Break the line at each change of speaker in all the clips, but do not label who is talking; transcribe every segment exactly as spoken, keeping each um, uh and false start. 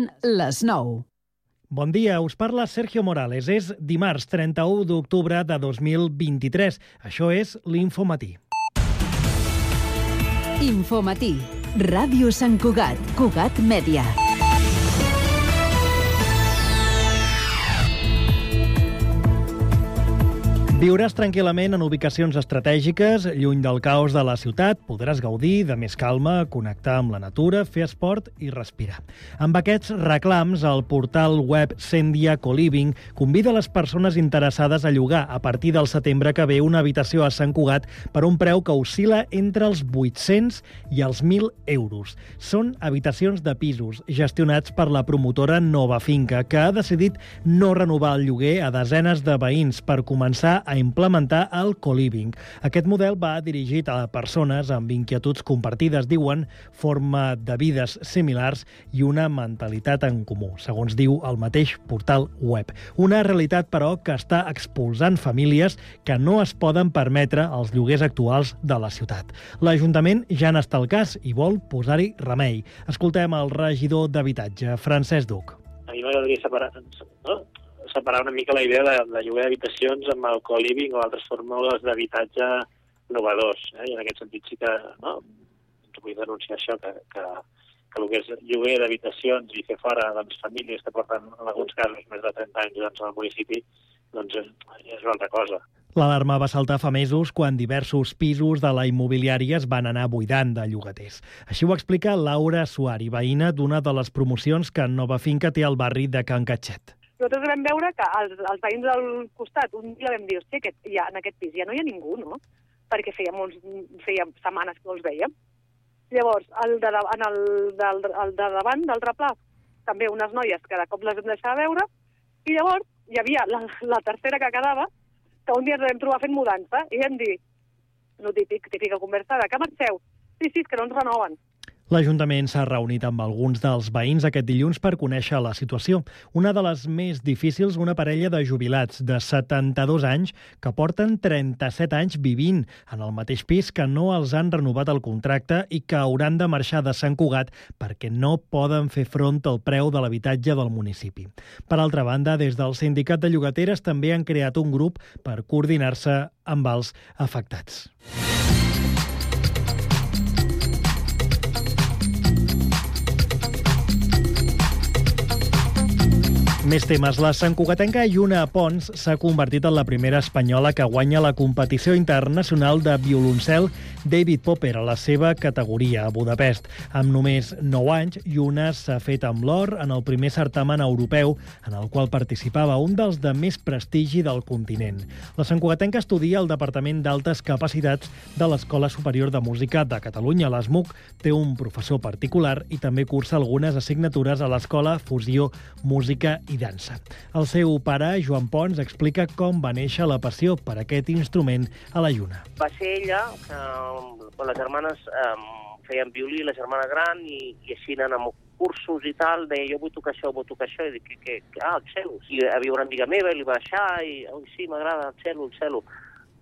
Són les nou.
Bon dia, us parla Sergio Morales. És dimarts trenta-u d'octubre de dos mil vint-i-tres. Això és l'Infomatí.
Infomatí. Ràdio Sant Cugat. Cugat Mèdia.
Viuràs tranquil·lament en ubicacions estratègiques, lluny del caos de la ciutat, podràs gaudir de més calma, connectar amb la natura, fer esport i respirar. Amb aquests reclams, el portal web Sendia Coliving convida les persones interessades a llogar a partir del setembre que ve una habitació a Sant Cugat per un preu que oscil·la entre els vuit-cents i els mil euros. Són habitacions de pisos gestionats per la promotora Nova Finca, que ha decidit no renovar el lloguer a desenes de veïns per començar a implementar el co-living. Aquest model va dirigit a persones amb inquietuds compartides, diuen, forma de vides similars i una mentalitat en comú, segons diu el mateix portal web. Una realitat, però, que està expulsant famílies que no es poden permetre els lloguers actuals de la ciutat. L'Ajuntament ja n'està al cas i vol posar-hi remei. Escoltem el regidor d'Habitatge, Francesc Duc.
A mi m'agradaria separar, no? separar una mica la idea de, de lloguer d'habitacions amb el co-living o altres fórmules d'habitatge innovadors. Eh? I en aquest sentit sí que, no, vull denunciar això, que, que, que el que és lloguer d'habitacions i fer fora doncs, famílies que porten, en alguns casos, més de trenta anys doncs, al municipi, doncs és una altra cosa.
L'alarma va saltar fa mesos quan diversos pisos de la immobiliària es van anar buidant de llogaters. Així ho explica Laura Suari, veïna d'una de les promocions que Nova Finca té al barri de Can Catxet.
Nosaltres vam veure que els, els veïns del costat, un dia vam dir, hosti, aquest, ja, en aquest pis ja no hi ha ningú, no? Perquè feia, molts, feia setmanes que no els veiem. Llavors, el de, en el, del, el de davant, d'altre pla, també unes noies que de cop les vam deixar veure, i llavors hi havia la, la tercera que quedava, que un dia ens vam trobar fent mudança, i vam dir, no típic, típica conversa, de que marxeu? Sí, sí, és que no ens renoven.
L'Ajuntament s'ha reunit amb alguns dels veïns aquest dilluns per conèixer la situació. Una de les més difícils, una parella de jubilats de setanta-dos anys que porten trenta-set anys vivint en el mateix pis, que no els han renovat el contracte i que hauran de marxar de Sant Cugat perquè no poden fer front al preu de l'habitatge del municipi. Per altra banda, des del Sindicat de Llogateres també han creat un grup per coordinar-se amb els afectats. Més temes. La santcugatenca Lluna Pons s'ha convertit en la primera espanyola que guanya la competició internacional de violoncel David Popper a la seva categoria a Budapest. Amb només nou anys, Lluna s'ha fet amb l'or en el primer certamen europeu en el qual participava, un dels de més prestigi del continent. La santcugatenca estudia al Departament d'Altes Capacitats de l'Escola Superior de Música de Catalunya. L'E S M U C té un professor particular i també cursa algunes assignatures a l'Escola Fusió Música i dansa. El seu pare, Joan Pons, explica com va néixer la passió per aquest instrument a la Lluna.
Va ser ella que, quan les germanes eh, feien violí, la germana gran, i, i així anant amb cursos i tal, deia, jo vull tocar això, vull tocar això, i dic, que, que, ah, el cello. I havia una amiga meva, i li va deixar, i, oh, sí, m'agrada el cello, el cello.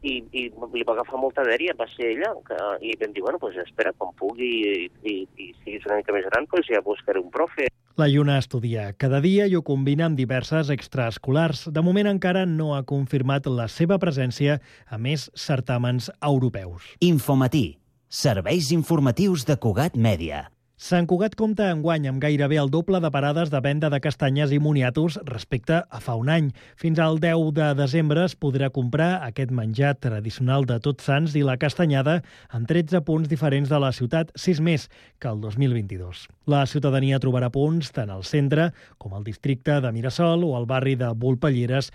I, i li va agafar molta dèria, va ser ella, que, i vam dir, bueno, pues espera, quan pugui i, i, i siguis una mica més gran, pues ja buscaré un profe.
La Lluna estudia cada dia i ho combina amb diverses extraescolars. De moment encara no ha confirmat la seva presència a més certàmens europeus.
Infomatí. Serveis informatius de Cugat Mèdia.
Sant Cugat compta enguany amb gairebé el doble de parades de venda de castanyes i moniatos respecte a fa un any. Fins al deu de desembre es podrà comprar aquest menjar tradicional de Tots Sants i la castanyada en tretze punts diferents de la ciutat, sis més que el dos mil vint-i-dos. La ciutadania trobarà punts tant al centre com al districte de Mirasol o al barri de Volpelleres,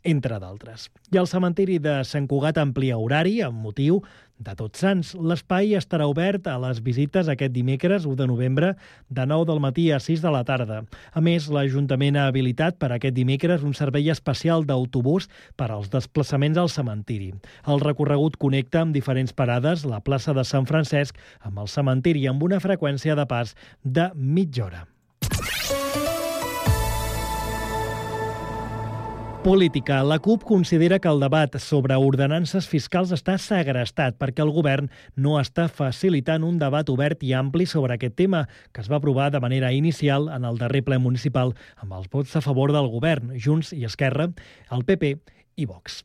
entre d'altres. I el cementiri de Sant Cugat amplia horari amb motiu de Tots Sants. L'espai estarà obert a les visites aquest dimecres, u de novembre, de nou del matí a sis de la tarda. A més, l'Ajuntament ha habilitat per aquest dimecres un servei especial d'autobús per als desplaçaments al cementiri. El recorregut connecta amb diferents parades la plaça de Sant Francesc amb el cementiri amb una freqüència de pas de mitja hora. Política. La CUP considera que el debat sobre ordenances fiscals està segrestat perquè el govern no està facilitant un debat obert i ampli sobre aquest tema, que es va aprovar de manera inicial en el darrer ple municipal amb els vots a favor del govern, Junts i Esquerra, el P P i Vox.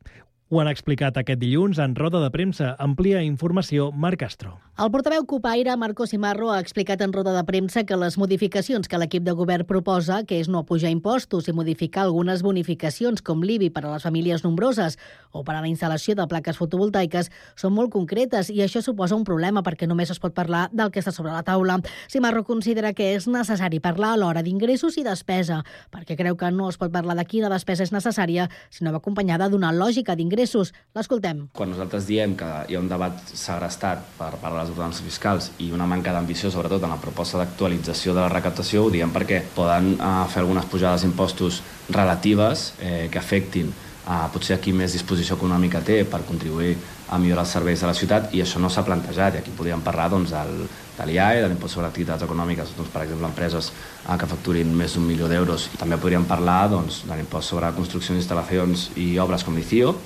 Ho han explicat aquest dilluns en roda de premsa. Amplia informació, Marc Castro.
El portaveu cupaire, Marco Simarro, ha explicat en roda de premsa que les modificacions que l'equip de govern proposa, que és no pujar impostos i modificar algunes bonificacions com l'I B I per a les famílies nombroses o per a la instal·lació de plaques fotovoltaiques, són molt concretes i això suposa un problema perquè només es pot parlar del que està sobre la taula. Simarro considera que és necessari parlar a l'hora d'ingressos i despesa, perquè creu que no es pot parlar de quina despesa és necessària, sinó acompanyada d'una lògica d'ingressos. L'escoltem.
Quan nosaltres diem que hi ha un debat segrestat per part de les ordenances fiscals i una manca d'ambició, sobretot en la proposta d'actualització de la recaptació, ho diem perquè poden eh, fer algunes pujades d'impostos relatives eh, que afectin eh, potser a qui més disposició econòmica té per contribuir a millorar els serveis de la ciutat, i això no s'ha plantejat. I aquí podríem parlar doncs, del, de l'I A E, de l'impost sobre activitats econòmiques, doncs, per exemple, empreses eh, que facturin més d'un milió d'euros. També podríem parlar doncs, de l'impost sobre construccions, instal·lacions i obres com l'I C I O.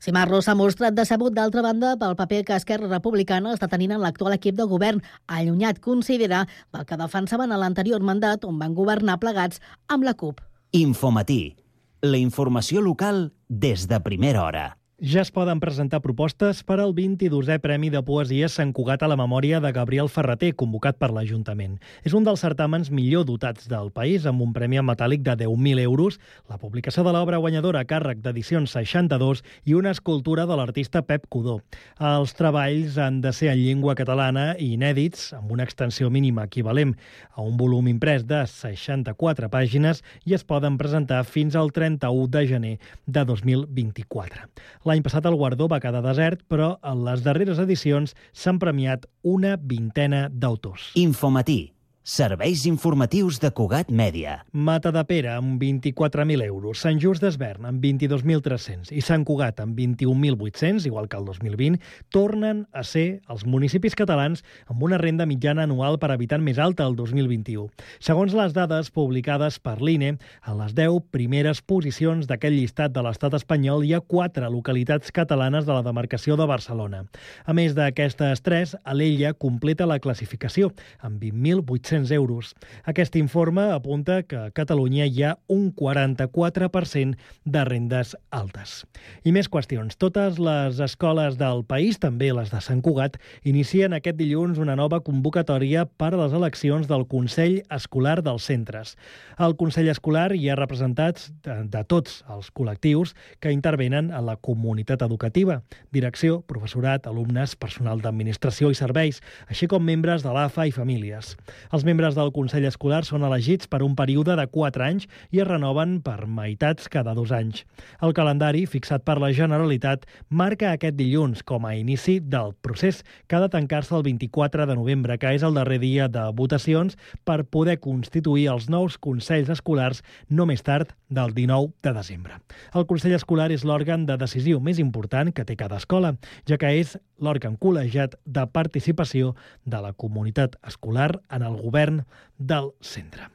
Simarro s'ha mostrat decebut, d'altra banda, pel paper que Esquerra Republicana està tenint en l'actual equip de govern, allunyat, considera, del que defensaven a l'anterior mandat, on van governar plegats amb la CUP.
Infomatí. La informació local des de primera hora.
Ja es poden presentar propostes per al vint-i-dosè Premi de Poesia Sant Cugat a la memòria de Gabriel Ferrater, convocat per l'Ajuntament. És un dels certàmens millor dotats del país, amb un premi en metàl·lic de deu mil euros, la publicació de l'obra guanyadora a càrrec d'Edicions seixanta-dos i una escultura de l'artista Pep Codó. Els treballs han de ser en llengua catalana i inèdits, amb una extensió mínima equivalent a un volum imprès de seixanta-quatre pàgines, i es poden presentar fins al trenta-u de gener de dos mil vint-i-quatre. L'any passat el guardó va quedar desert, però en les darreres edicions s'han premiat una vintena d'autors.
Infomatí. Serveis informatius de Cugat Mèdia.
Matadepera amb vint-i-quatre mil euros, Sant Just d'Esvern amb vint-i-dos mil tres-cents i Sant Cugat amb vint-i-un mil vuit-cents, igual que el dos mil vint, tornen a ser els municipis catalans amb una renda mitjana anual per habitant més alta el dos mil vint-i-u. Segons les dades publicades per l'I N E, a les deu primeres posicions d'aquest llistat de l'estat espanyol hi ha quatre localitats catalanes de la demarcació de Barcelona. A més d'aquestes tres, Alella completa la classificació amb vint mil vuit-cents euros. Aquest informe apunta que a Catalunya hi ha un quaranta-quatre per cent de rendes altes. I més qüestions. Totes les escoles del país, també les de Sant Cugat, inicien aquest dilluns una nova convocatòria per a les eleccions del Consell Escolar dels centres. Al Consell Escolar hi ha representats de, de tots els col·lectius que intervenen en la comunitat educativa: direcció, professorat, alumnes, personal d'administració i serveis, així com membres de l'A F A i famílies. Els membres del Consell Escolar són elegits per un període de quatre anys i es renoven per meitats cada dos anys. El calendari, fixat per la Generalitat, marca aquest dilluns com a inici del procés, que ha de tancar-se el vint-i-quatre de novembre, que és el darrer dia de votacions, per poder constituir els nous consells escolars no més tard del dinou de desembre. El Consell Escolar és l'òrgan de decisió més important que té cada escola, ja que és l'òrgan col·legiat de participació de la comunitat escolar en el govern del centre.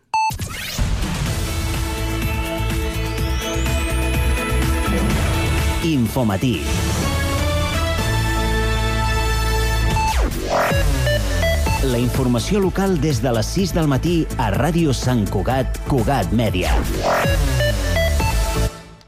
Infomatí. La informació local des de les sis del matí a Ràdio Sant Cugat, Cugat Mèdia.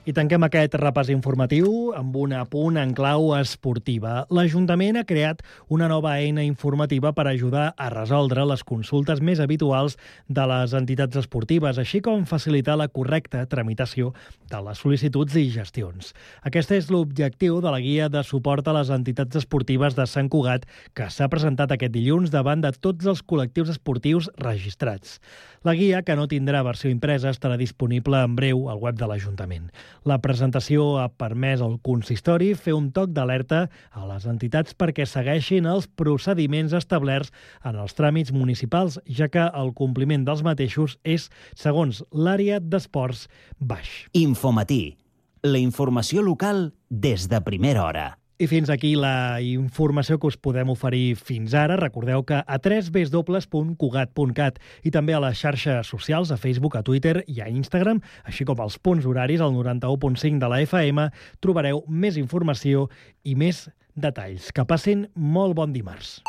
I tanquem aquest repàs informatiu amb un apunt en clau esportiva. L'Ajuntament ha creat una nova eina informativa per ajudar a resoldre les consultes més habituals de les entitats esportives, així com facilitar la correcta tramitació de les sol·licituds i gestions. Aquest és l'objectiu de la guia de suport a les entitats esportives de Sant Cugat, que s'ha presentat aquest dilluns davant de tots els col·lectius esportius registrats. La guia, que no tindrà versió impresa, estarà disponible en breu al web de l'Ajuntament. La presentació ha permès al consistori fer un toc d'alerta a les entitats perquè segueixin els procediments establerts en els tràmits municipals, ja que el compliment dels mateixos és, segons l'àrea d'esports, baix.
Infomatí. La informació local des de primera hora.
I fins aquí la informació que us podem oferir fins ara. Recordeu que a w w w punt cugat punt cat i també a les xarxes socials, a Facebook, a Twitter i a Instagram, així com als punts horaris, al noranta-u punt cinc de la F M, trobareu més informació i més detalls. Que passin molt bon dimarts.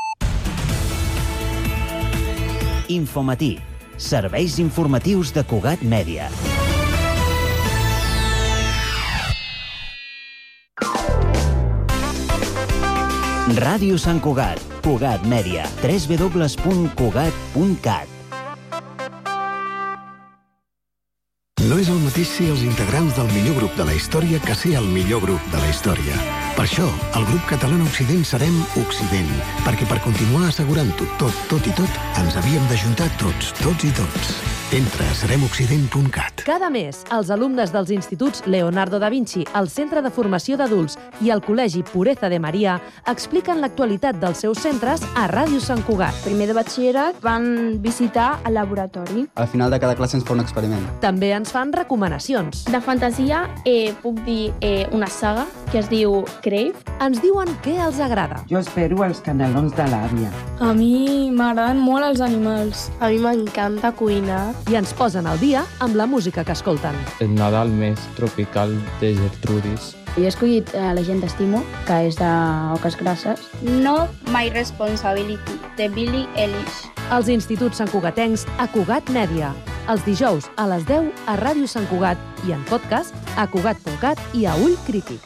Infomatí. Serveis informatius de Cugat Mèdia. Ràdio Sant Cugat, Cugat Mèdia, w w w punt cugat punt cat.
No és el mateix ser els integrants del millor grup de la història que ser el millor grup de la història. Per això, al grup català Occident serem Occident, perquè per continuar assegurant-ho tot, tot i tot, ens havíem d'ajuntar tots, tots i tots. Entra a serem occident punt cat.
Cada mes, els alumnes dels instituts Leonardo da Vinci, el Centre de Formació d'Adults i el Col·legi Pureza de Maria expliquen l'actualitat dels seus centres a Ràdio Sant Cugat.
Primer de batxillerat van visitar el laboratori.
Al final de cada classe ens fa un experiment.
També ens fan recomanacions.
De fantasia eh, puc dir eh, una saga que es diu Crave.
Ens diuen què els agrada.
Jo espero els canelons de l'àvia.
A mi m'agraden molt els animals.
A mi m'encanta cuinar.
I ens posen al dia amb la música que escolten.
El Nadal més tropical de Gertrudis.
Jo he escollit eh, La gent t'estimo, que és d'Oques Grasses.
No My Responsibility, de Billie Eilish.
Els instituts santcugatencs a Cugat Mèdia. Els dijous a les deu a Ràdio Sant Cugat i en podcast a cugat punt cat i a Ull Crític.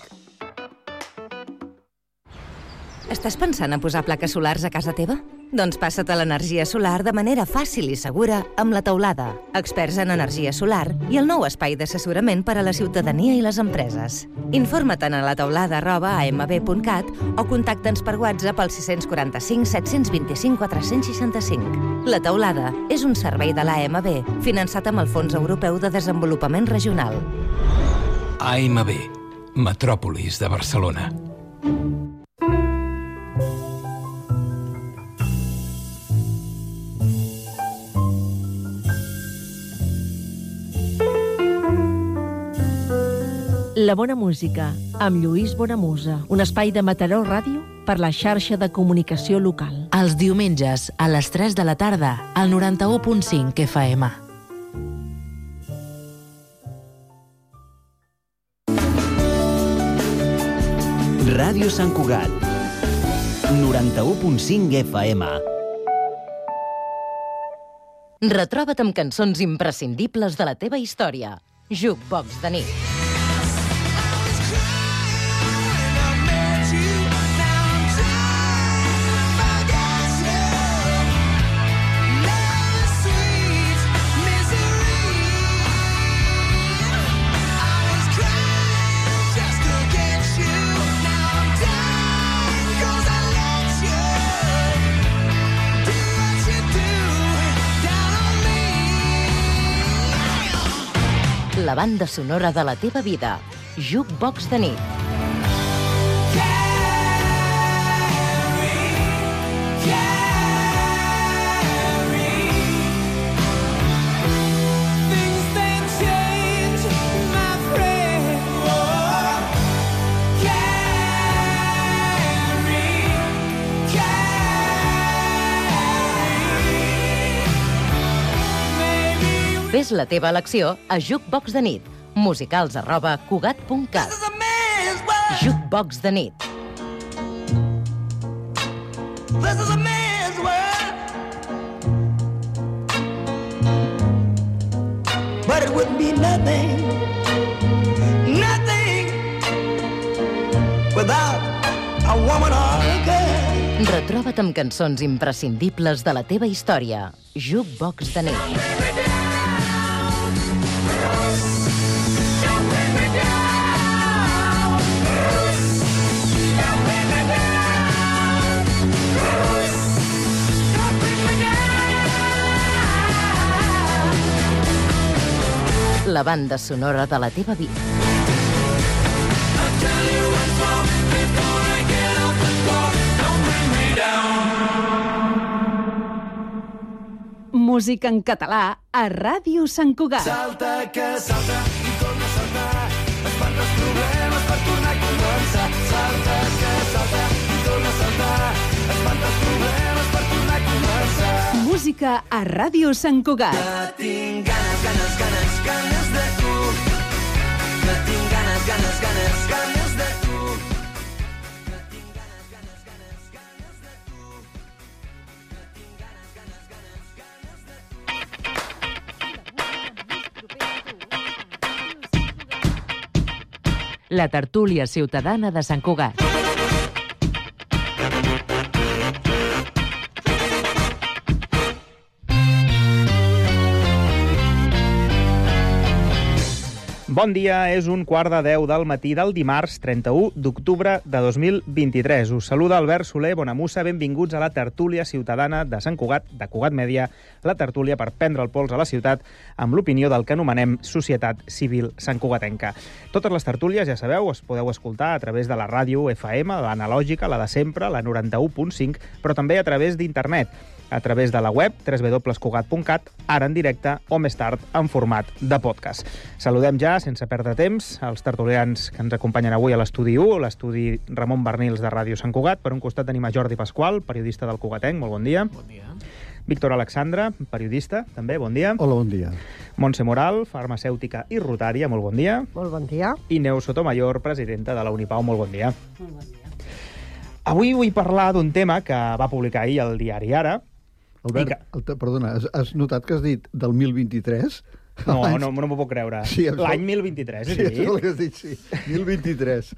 Estàs pensant en posar plaques solars a casa teva? Doncs passa't a l'energia solar de manera fàcil i segura amb La Teulada, experts en energia solar i el nou espai d'assessorament per a la ciutadania i les empreses. Informa't a la teulada arroba a m b punt cat o contacta'ns per WhatsApp al sis quatre cinc set dos cinc quatre sis cinc. La Teulada és un servei de l'A M B finançat amb el Fons Europeu de Desenvolupament Regional.
A M B, Metròpolis de Barcelona.
La bona música, amb Lluís Bonamusa, un espai de Mataró Ràdio per la xarxa de comunicació local.
Els diumenges, a les tres de la tarda, al noranta-u punt cinc F M.
Ràdio Sant Cugat, noranta-u punt cinc F M.
Retroba't amb cançons imprescindibles de la teva història. Jukebox de nit. La banda sonora de la teva vida. Jukebox de nit. Fes la teva elecció a Jukebox de nit. Musicals arroba cugat punt cat. Jukebox de nit. This is a man's world. But it wouldn't be nothing, nothing without a woman or a girl. Retroba't amb cançons imprescindibles de la teva història. Jukebox de nit. La banda sonora de la teva vida.
Música en català a Ràdio Sant Cugat.
Salta que salta i torna a saltar, espanta els problemes per tornar a començar. Salta que
música a Ràdio Sant Cugat.
Que tinc ganes, ganes, ganes, ganes de tu. Que tinc ganes, ganes, ganes, ganes de tu. Que tinc ganes, ganes, ganes, ganes de tu. Que tinc ganes, ganes, ganes, ganes de tu.
La tertúlia ciutadana de Sant Cugat.
Bon dia, és un quart de deu del matí del dimarts trenta-u d'octubre de dos mil vint-i-tres. Us saluda Albert Soler Bonamussa, benvinguts a la tertúlia ciutadana de Sant Cugat, de Cugat Mèdia, la tertúlia per prendre el pols a la ciutat amb l'opinió del que anomenem Societat Civil Santcugatenca. Totes les tertúlies, ja sabeu, es podeu escoltar a través de la ràdio F M, l'analògica, la de sempre, la noranta-u punt cinc, però també a través d'internet, a través de la web w w w punt cugat punt cat, ara en directe o més tard en format de podcast. Saludem ja, sense perdre temps, els tertulians que ens acompanyen avui a l'estudi u, l'estudi Ramon Bernils de Ràdio Sant Cugat. Per un costat tenim a Jordi Pasqual, periodista del Cugatenc, molt bon dia.
Bon dia.
Víctor Alexandre, periodista, també, bon dia.
Hola, bon dia.
Montse Moral, farmacèutica i rotària, molt bon dia.
Molt bon dia.
I Neus Sotomayor, presidenta de la Unipau, molt bon dia.
Molt bon dia.
Avui vull parlar d'un tema que va publicar ahir el diari Ara.
Albert, que... el, perdona, has, has notat que has dit del mil vint-i-tres?
No, no, no m'ho puc creure. Sí, l'any mil vint-i-tres,
sí,
és dit?
Sí, és el que has dit, sí. mil vint-i-tres.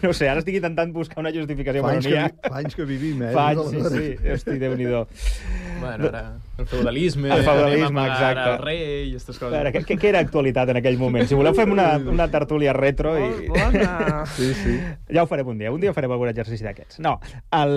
No sé, ara estic intentant buscar una justificació,
fa
però n'hi ha.
Fa anys que vivim, eh?
Fa anys, sí, sí. Hosti, Déu-n'hi-do.
Bueno, ara el feudalisme,
el feudalisme,
anem a pagar
exacte.
al rei i aquestes coses.
Veure, què, què era actualitat en aquell moment? Si voleu fem una, una tertúlia retro i...
Molt bona!
Sí, sí.
Ja ho farem un dia, un dia farem algun exercici d'aquests. No, el,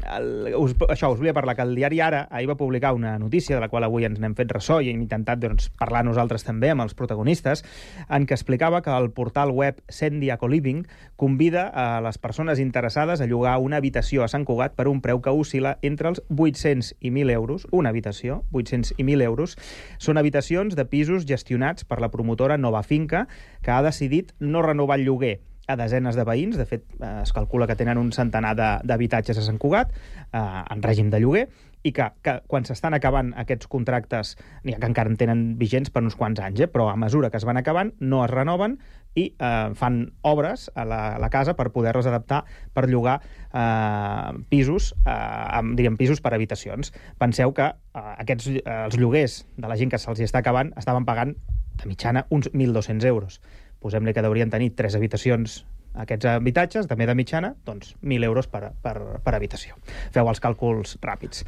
el, us, això, us volia parlar, que el diari Ara ahir va publicar una notícia de la qual avui ens n'hem fet ressò i hem intentat doncs, parlar nosaltres també amb els protagonistes, en què explicava que el portal web Sendia Coliving convida a les persones interessades a llogar una habitació a Sant Cugat per un preu que oscil·la entre els vuit-cents i mil euros, una habitació, vuit-cents i mil euros. Són habitacions de pisos gestionats per la promotora Nova Finca, que ha decidit no renovar el lloguer a desenes de veïns. De fet, es calcula que tenen un centenar d'habitatges a Sant Cugat, eh, en règim de lloguer, i que, que quan s'estan acabant aquests contractes, n'hi ha que encara en tenen vigents per uns quants anys, eh? Però a mesura que es van acabant no es renoven i eh, fan obres a la, a la casa per poder-les adaptar per llogar eh, pisos, eh, diríem pisos per habitacions. Penseu que eh, aquests, eh, els lloguers de la gent que se'ls està acabant estaven pagant de mitjana uns mil dos-cents euros. Posem-li que deurien tenir tres habitacions aquests habitatges, també de mitjana, doncs mil euros per, per, per habitació. Feu els càlculs ràpids.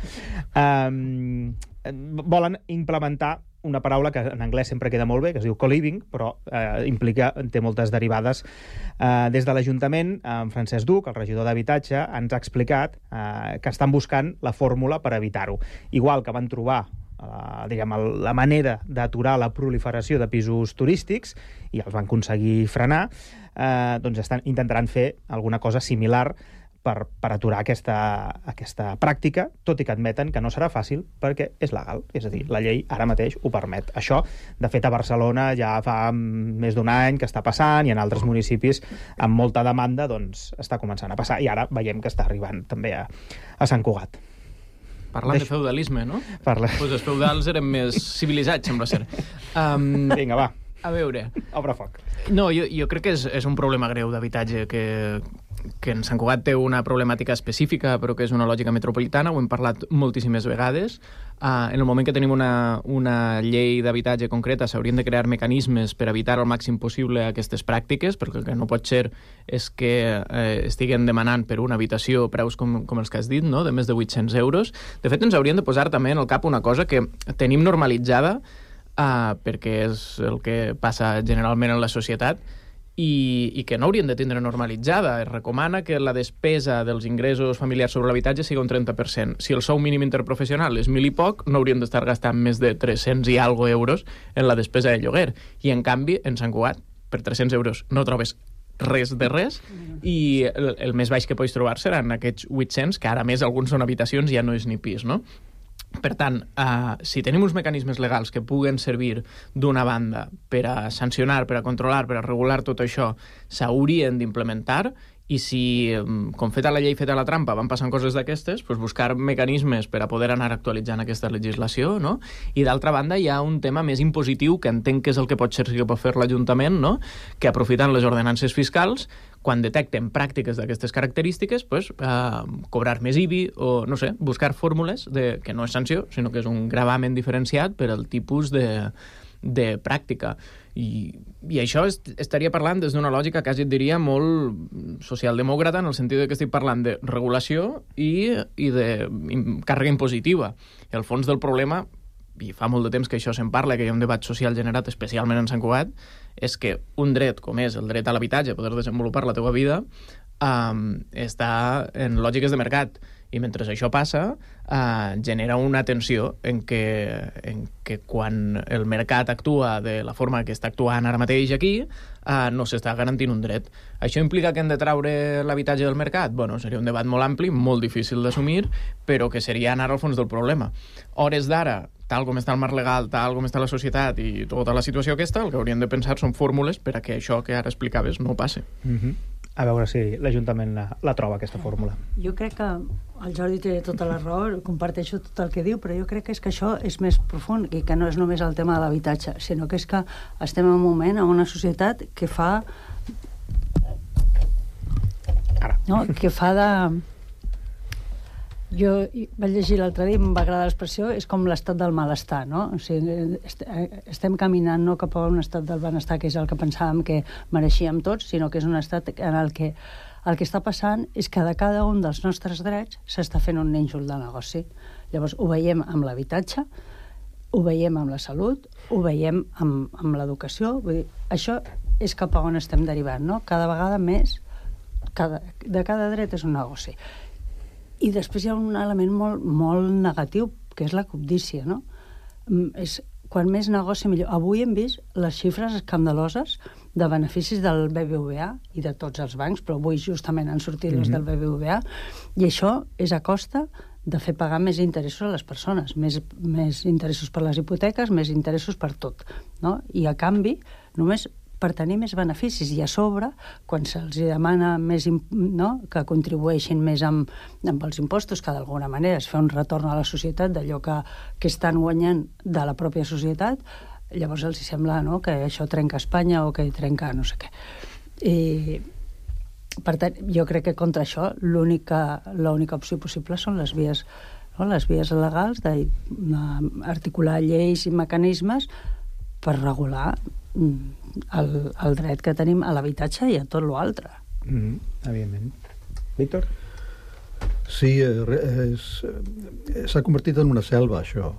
Um, volen implementar una paraula que en anglès sempre queda molt bé, que es diu co-living, però eh, implica, té moltes derivades. Eh, des de l'Ajuntament, en Francesc Duc, el regidor d'Habitatge, ens ha explicat eh, que estan buscant la fórmula per evitar-ho. Igual que van trobar la, diguem, la manera d'aturar la proliferació de pisos turístics i els van aconseguir frenar, eh, doncs estan, intentaran fer alguna cosa similar per, per aturar aquesta, aquesta pràctica, tot i que admeten que no serà fàcil perquè és legal, és a dir, la llei ara mateix ho permet. Això, de fet, a Barcelona ja fa més d'un any que està passant i en altres municipis amb molta demanda doncs està començant a passar i ara veiem que està arribant també a, a Sant Cugat.
Parlant Deix... de feudalisme, no?
Parla.
Pues els feudals eren més civilitzats, sembla ser. Um,
Vinga, va.
A veure...
Obre foc.
No, jo, jo crec que és, és un problema greu d'habitatge, que, que en Sant Cugat té una problemàtica específica, però que és una lògica metropolitana, ho hem parlat moltíssimes vegades. Uh, en el moment que tenim una, una llei d'habitatge concreta, s'haurien de crear mecanismes per evitar al màxim possible aquestes pràctiques, perquè el que no pot ser és que eh, estiguen demanant per una habitació preus com, com els que has dit, no? De més de vuit-cents euros. De fet, ens haurien de posar també en el cap una cosa que tenim normalitzada, Uh, perquè és el que passa generalment en la societat i, i que no haurien de tindre normalitzada. Es recomana que la despesa dels ingressos familiars sobre l'habitatge sigui un trenta per cent. Si el sou mínim interprofessional és mil i poc, no haurien d'estar gastant més de tres-cents i algo euros en la despesa de lloguer. I, en canvi, en Sant Cugat, per tres-cents euros no trobes res de res i el, el més baix que pots trobar seran aquests vuit-cents, que ara més alguns són habitacions, ja no és ni pis, no? Per tant, eh, si tenim uns mecanismes legals que puguen servir d'una banda per a sancionar, per a controlar, per a regular tot això, s'haurien d'implementar I si, com feta la llei, feta la trampa, van passant coses d'aquestes, doncs buscar mecanismes per a poder anar actualitzant aquesta legislació, no? I d'altra banda hi ha un tema més impositiu, que entenc que és el que pot ser que pot fer l'Ajuntament, no? Que aprofitant les ordenances fiscals, quan detecten pràctiques d'aquestes característiques, pues, eh, cobrar més I B I o, no sé, buscar fórmules de, que no és sanció, sinó que és un gravamen diferenciat per al tipus de, de pràctica. I, i això est, estaria parlant des d'una lògica, quasi et diria, molt socialdemòcrata, en el sentit que estic parlant de regulació i, i de càrrega impositiva. I el fons del problema, i fa molt de temps que això se'n parla, que hi ha un debat social generat especialment en Sant Cugat, és que un dret com és el dret a l'habitatge, poder desenvolupar la teva vida, um, està en lògiques de mercat. I mentre això passa, eh, genera una tensió en què, en què quan el mercat actua de la forma que està actuant ara mateix aquí, eh, no s'està garantint un dret. Això implica que hem de traure l'habitatge del mercat? Bueno, seria un debat molt ampli, molt difícil d'assumir, però que seria anar al fons del problema. Hores d'ara, tal com està el marc legal, tal com està la societat i tota la situació aquesta, el que hauríem de pensar són fórmules per a que això que ara explicaves no passi.
Mm-hmm. A veure si l'Ajuntament la, la troba, aquesta fórmula.
Jo crec que el Jordi té tota la raó, comparteixo tot el que diu, però jo crec que és que això és més profund i que no és només el tema de l'habitatge, sinó que és que estem en un moment, en una societat que fa...
Ara.
No? Que fa de... Jo vaig llegir l'altre dia i em va agradar l'expressió, és com l'estat del malestar, no? O sigui, estem caminant no cap a un estat del benestar, que és el que pensàvem que mereixíem tots, sinó que és un estat en el que el que està passant és que de cada un dels nostres drets s'està fent un nínxol de negoci. Llavors, ho veiem amb l'habitatge, ho veiem amb la salut, ho veiem amb, amb l'educació. Vull dir, això és cap a on estem derivant, no? Cada vegada més, cada, de cada dret és un negoci. I després hi ha un element molt, molt negatiu, que és la cobdícia, no? És, quan més negoci, millor. Avui hem vist les xifres escandaloses de beneficis del B B V A i de tots els bancs, però avui justament han sortit mm-hmm. els del B B V A, i això és a costa de fer pagar més interessos a les persones, més, més interessos per les hipoteques, més interessos per tot, no? I a canvi, només per tenir més beneficis, i a sobre, quan se'ls demana més, no? que contribueixin més amb, amb els impostos, que d'alguna manera es fa un retorn a la societat d'allò que, que estan guanyant de la pròpia societat, llavors els sembla, no? que això trenca Espanya o que trenca no sé què. I, per tant, jo crec que contra això l'única l'única opció possible són les vies, no? les vies legals d'articular lleis i mecanismes per regular el, el dret que tenim a l'habitatge i a tot l'altre.
Mm, evidentment. Víctor?
Sí, s'ha convertit en una selva, això.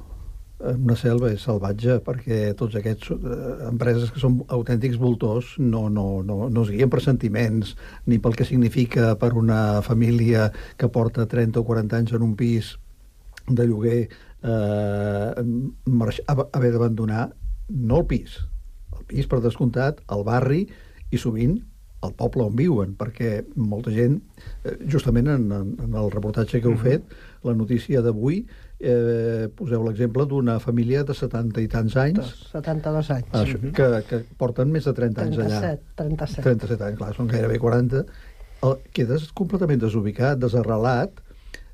Una selva és salvatge, perquè tots aquests eh, empreses que són autèntics voltors no, no, no, no es guien per sentiments, ni pel que significa per una família que porta trenta o quaranta anys en un pis de lloguer eh, haver d'abandonar no el pis, el pis per descomptat, el barri i sovint el poble on viuen, perquè molta gent, justament en, en el reportatge que heu fet, la notícia d'avui, eh, poseu l'exemple d'una família de setanta i tants anys,
setanta-dos anys,
això, que, que porten més de trenta anys allà.
trenta-set.
trenta-set anys, clar, són gairebé quaranta. El, quedes completament desubicat, desarrelat.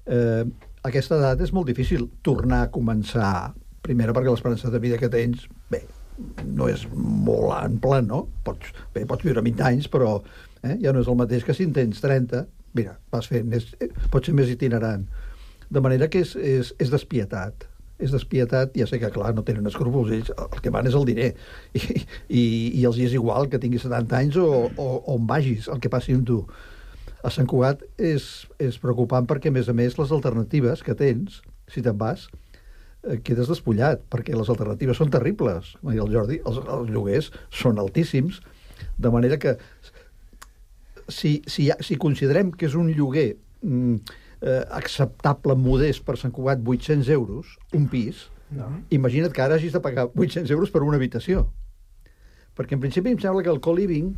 Eh, a aquesta edat és molt difícil tornar a començar. Primera, perquè l'esperança de vida que tens, bé, no és molt ample, no? Pots, bé, pots viure vint anys, però eh, ja no és el mateix que si en tens trenta. Mira, vas fent, és, pot ser més itinerant. De manera que és, és, és despietat. És despietat, ja sé que, clar, no tenen escrúpols, ells el que van és el diner. I, i, i els hi és igual que tinguis setanta anys o, o, o on vagis, el que passi amb tu. A Sant Cugat és, és preocupant perquè, a més a més, les alternatives que tens, si te'n vas, quedes despullat, perquè les alternatives són terribles. Com deia el Jordi, els, els lloguers són altíssims, de manera que si, si, si considerem que és un lloguer mm, eh, acceptable, modest per Sant Cugat, vuit-cents euros, un pis, no. Imagina't que ara hagis de pagar vuit-cents euros per una habitació. Perquè en principi em sembla que el co-living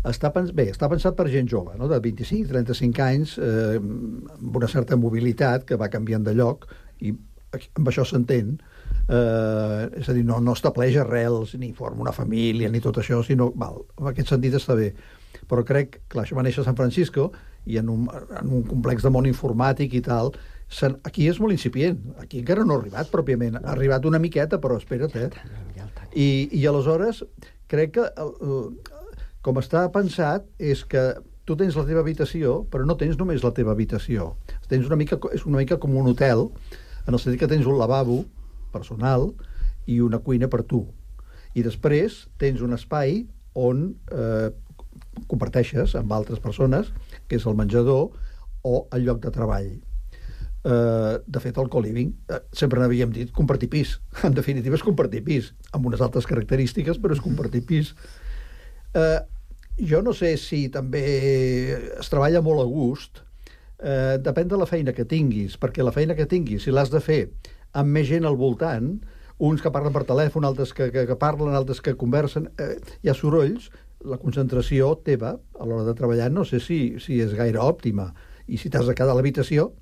està, pens bé, està pensat per gent jove, no? De vint-i-cinc a trenta-cinc anys, eh, amb una certa mobilitat que va canviant de lloc, i amb això s'entén, eh, és a dir, no, no estableix arrels, ni forma una família, ni tot això, sinó, val, en aquest sentit està bé. Però crec, clar, això va néixer a San Francisco i en un, en un complex de món informàtic i tal, aquí és molt incipient. Aquí encara no ha arribat pròpiament. Ha arribat una miqueta, però espera't, eh? I, i aleshores crec que el, el, com està pensat és que tu tens la teva habitació, però no tens només la teva habitació. Tens una mica, és una mica com un hotel, en el sentit que tens un lavabo personal i una cuina per tu. I després tens un espai on eh, comparteixes amb altres persones, que és el menjador o el lloc de treball. Eh, de fet, el co-living, eh, sempre n'havíem dit compartir pis. En definitiva, és compartir pis, amb unes altres característiques, però és compartir pis. Eh, jo no sé si també es treballa molt a gust, eh, depèn de la feina que tinguis, perquè la feina que tinguis, si l'has de fer amb més gent al voltant, uns que parlen per telèfon, altres que, que, que parlen, altres que conversen, eh, hi ha sorolls, la concentració teva a l'hora de treballar no sé si, si és gaire òptima, i si t'has de quedar a l'habitació,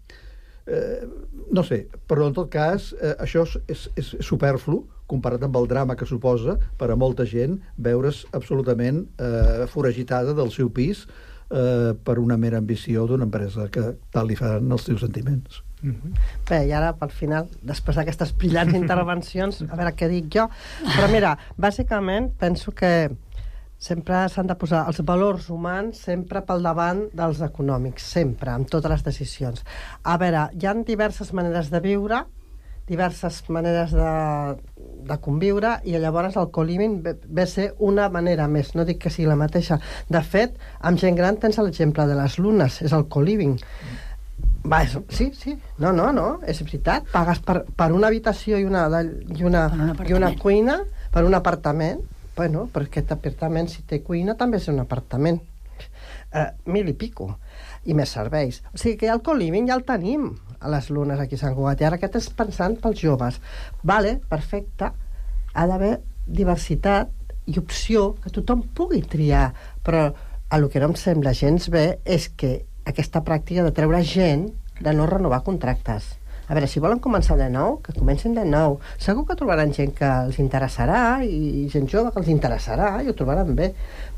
eh, no sé, però en tot cas eh, això és, és, és superflu comparat amb el drama que suposa per a molta gent veure's absolutament eh, foragitada del seu pis eh, per una mera ambició d'una empresa que tal li fan els teus sentiments.
Mm-hmm. Bé, i ara, pel final, després d'aquestes brillants intervencions, a veure què dic jo, però mira, bàsicament penso que sempre s'han de posar els valors humans sempre pel davant dels econòmics, sempre, amb totes les decisions. A veure, hi ha diverses maneres de viure, diverses maneres de, de conviure, i llavors el co-living ve, ve a ser una manera més, no dic que sigui la mateixa. De fet, amb gent gran tens l'exemple de les lunes, és el co-living. Va, és, sí, sí, no, no, no, és veritat, pagues per, per una habitació i una, i una, i una cuina, per un apartament. Bueno, però aquest apartament, si té cuina, també és un apartament. Eh, mil i pico. I més serveis. O sigui que ja el co-living ja el tenim a les lunes aquí a Sant Cugat. I ara aquest és pensant pels joves. Vale, perfecte. Ha d'haver diversitat i opció que tothom pugui triar. Però el que no em sembla gens bé és que aquesta pràctica de treure gent de no renovar contractes. A veure, si volen començar de nou, que comencin de nou. Segur que trobaran gent que els interessarà i gent jove que els interessarà i ho trobaran bé.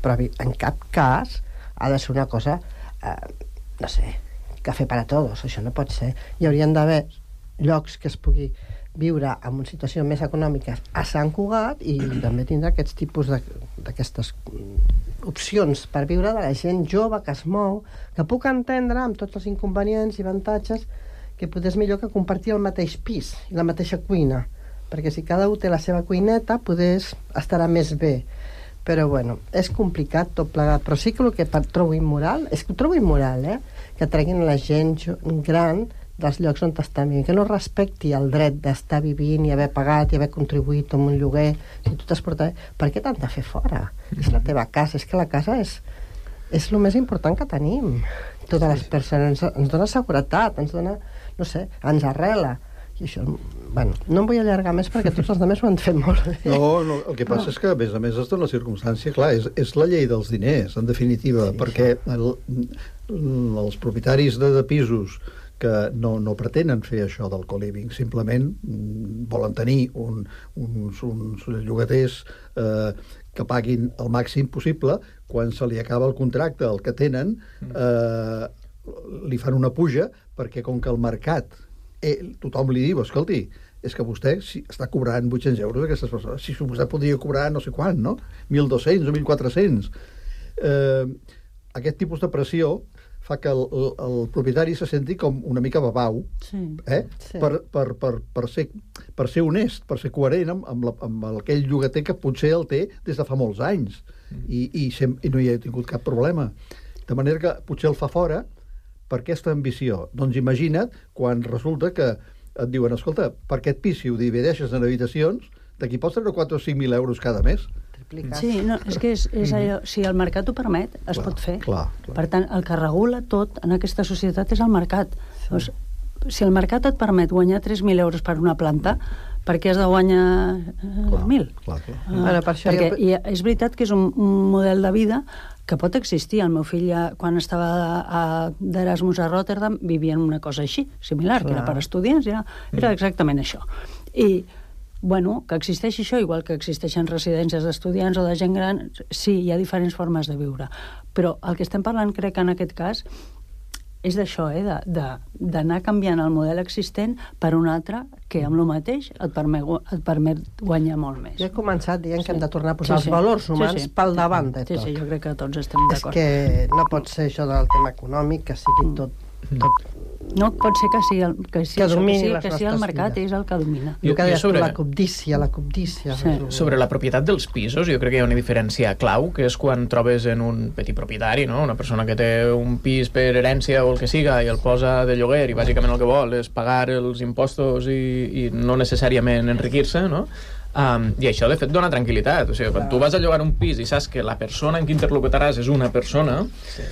Però en cap cas ha de ser una cosa, eh, no sé, cafè per a tots. Això no pot ser. Hi haurien d'haver llocs que es pugui viure en una situació més econòmica a Sant Cugat i també tindrà aquests tipus d'aquestes opcions per viure de la gent jove que es mou, que puc entendre amb tots els inconvenients i avantatges que potser és millor que compartir el mateix pis i la mateixa cuina, perquè si cada un té la seva cuineta, potser estarà més bé. Però, bueno, és complicat tot plegat. Però sí que el que trobo immoral, és que ho trobo immoral, eh? Que treguin la gent gran dels llocs on estan vivint, que no respecti el dret d'estar vivint i haver pagat i haver contribuït amb un lloguer. Si tu t'has portat... Per què t'han de fer fora? És la teva casa. És que la casa és, és el més important que tenim. Totes les persones. Ens, ens dona seguretat, ens dona... no sé, ens arrela. I això, bueno, no em vull allargar més perquè tots els altres ho han fet molt bé.
No, no, el que passa és que, a més a més, està en la circumstància, clar, és, és la llei dels diners, en definitiva, sí, perquè el, els propietaris de, de pisos que no, no pretenen fer això del co-living, simplement volen tenir un, uns, uns llogaters eh, que paguin el màxim possible, quan se li acaba el contracte, el que tenen, eh, li fan una puja, perquè com que el mercat, eh, tothom li diu, escolti, és que vostè si, està cobrant vuit-cents euros aquestes persones, si vostè podria cobrar no sé quant, no? mil dos-cents o mil quatre-cents. Eh, aquest tipus de pressió fa que el, el, el propietari se senti com una mica babau, sí, eh? Sí. Per, per, per, per, ser, per ser honest, per ser coherent amb, amb, la, amb aquell llogater que potser el té des de fa molts anys, mm. i, i, sem, i no hi ha tingut cap problema. De manera que potser el fa fora per aquesta ambició. Doncs imagina't quan resulta que et diuen, escolta, per aquest pis, si ho divideixes en habitacions, d'aquí pots treure quatre o cinc mil euros cada mes.
Sí, no, és que és, és allò, si el mercat ho permet, es clar, pot fer. Clar, clar. Per tant, el que regula tot en aquesta societat és el mercat. Sí. Doncs, si el mercat et permet guanyar tres mil euros per una planta, per què has de guanyar eh, mil? Clar, clar. Uh, bueno, per això perquè jo... és veritat que és un, un model de vida que pot existir. El meu fill, ja, quan estava a, d'Erasmus a Rotterdam, vivia en una cosa així, similar, clar, que era per estudiants, era, era exactament això. I bueno, que existeix això, igual que existeixen residències d'estudiants o de gent gran, sí, hi ha diferents formes de viure. Però el que estem parlant, crec, en aquest cas, és d'això, eh? d'anar canviant el model existent per un altre que amb el mateix et permet, et permet guanyar molt més.
Jo he començat dient sí. que hem de tornar a posar
sí, sí.
els valors humans
sí, sí.
pel davant de tot.
Sí, sí, jo crec que tots estem d'acord.
És que no pot ser això del tema econòmic, que sigui tot... tot...
No pot ser que sigui el, que sigui,
que domini
que sigui,
les
que sigui el mercat
vides.
És el que domina.
Jo, jo que deies
sobre...
la cobdícia, la cobdícia.
Sí. Sobre la propietat dels pisos, jo crec que hi ha una diferència clau, que és quan trobes en un petit propietari, no? Una persona que té un pis per herència o el que siga i el posa de lloguer i bàsicament el que vol és pagar els impostos i, i no necessàriament enriquir-se, no? Um, i això de fet dona tranquil·litat, o sigui, quan tu vas a llogar un pis i saps que la persona en qui interlocutaràs és una persona, sí.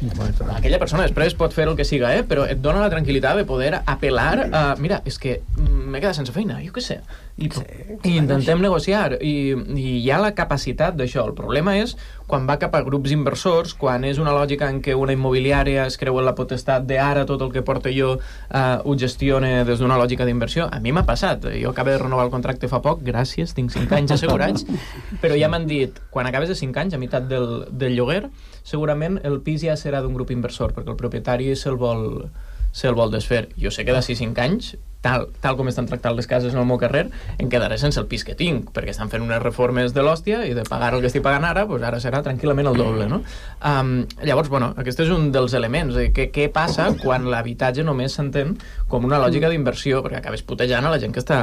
aquella persona després pot fer el que siga, eh? Però et dona la tranquil·litat de poder apel·lar a, mira, és que m'he quedat sense feina, jo què sé, i, sí, i intentem negociar, i, i hi ha la capacitat d'això. El problema és quan va cap a grups inversors, quan és una lògica en què una immobiliària es creu en la potestat de ara tot el que porto jo uh, ho gestione des d'una lògica d'inversió. A mi m'ha passat, jo acabo de renovar el contracte fa poc, gràcies, tinc cinc anys assegurats, però ja m'han dit, quan acabes de cinc anys, a meitat del, del lloguer, segurament el pis ja serà d'un grup inversor, perquè el propietari se'l vol, se'l vol desfer. Jo sé que d'ací cinc anys, tal, tal com estan tractant les cases en el meu carrer, em quedaré sense el pis que tinc, perquè estan fent unes reformes de l'hòstia i de pagar el que estic pagant ara, doncs ara serà tranquil·lament el doble, no? Um, llavors, bueno, aquest és un dels elements. De què, què passa quan l'habitatge només s'entén com una lògica d'inversió, perquè acabes putejant a la gent que està,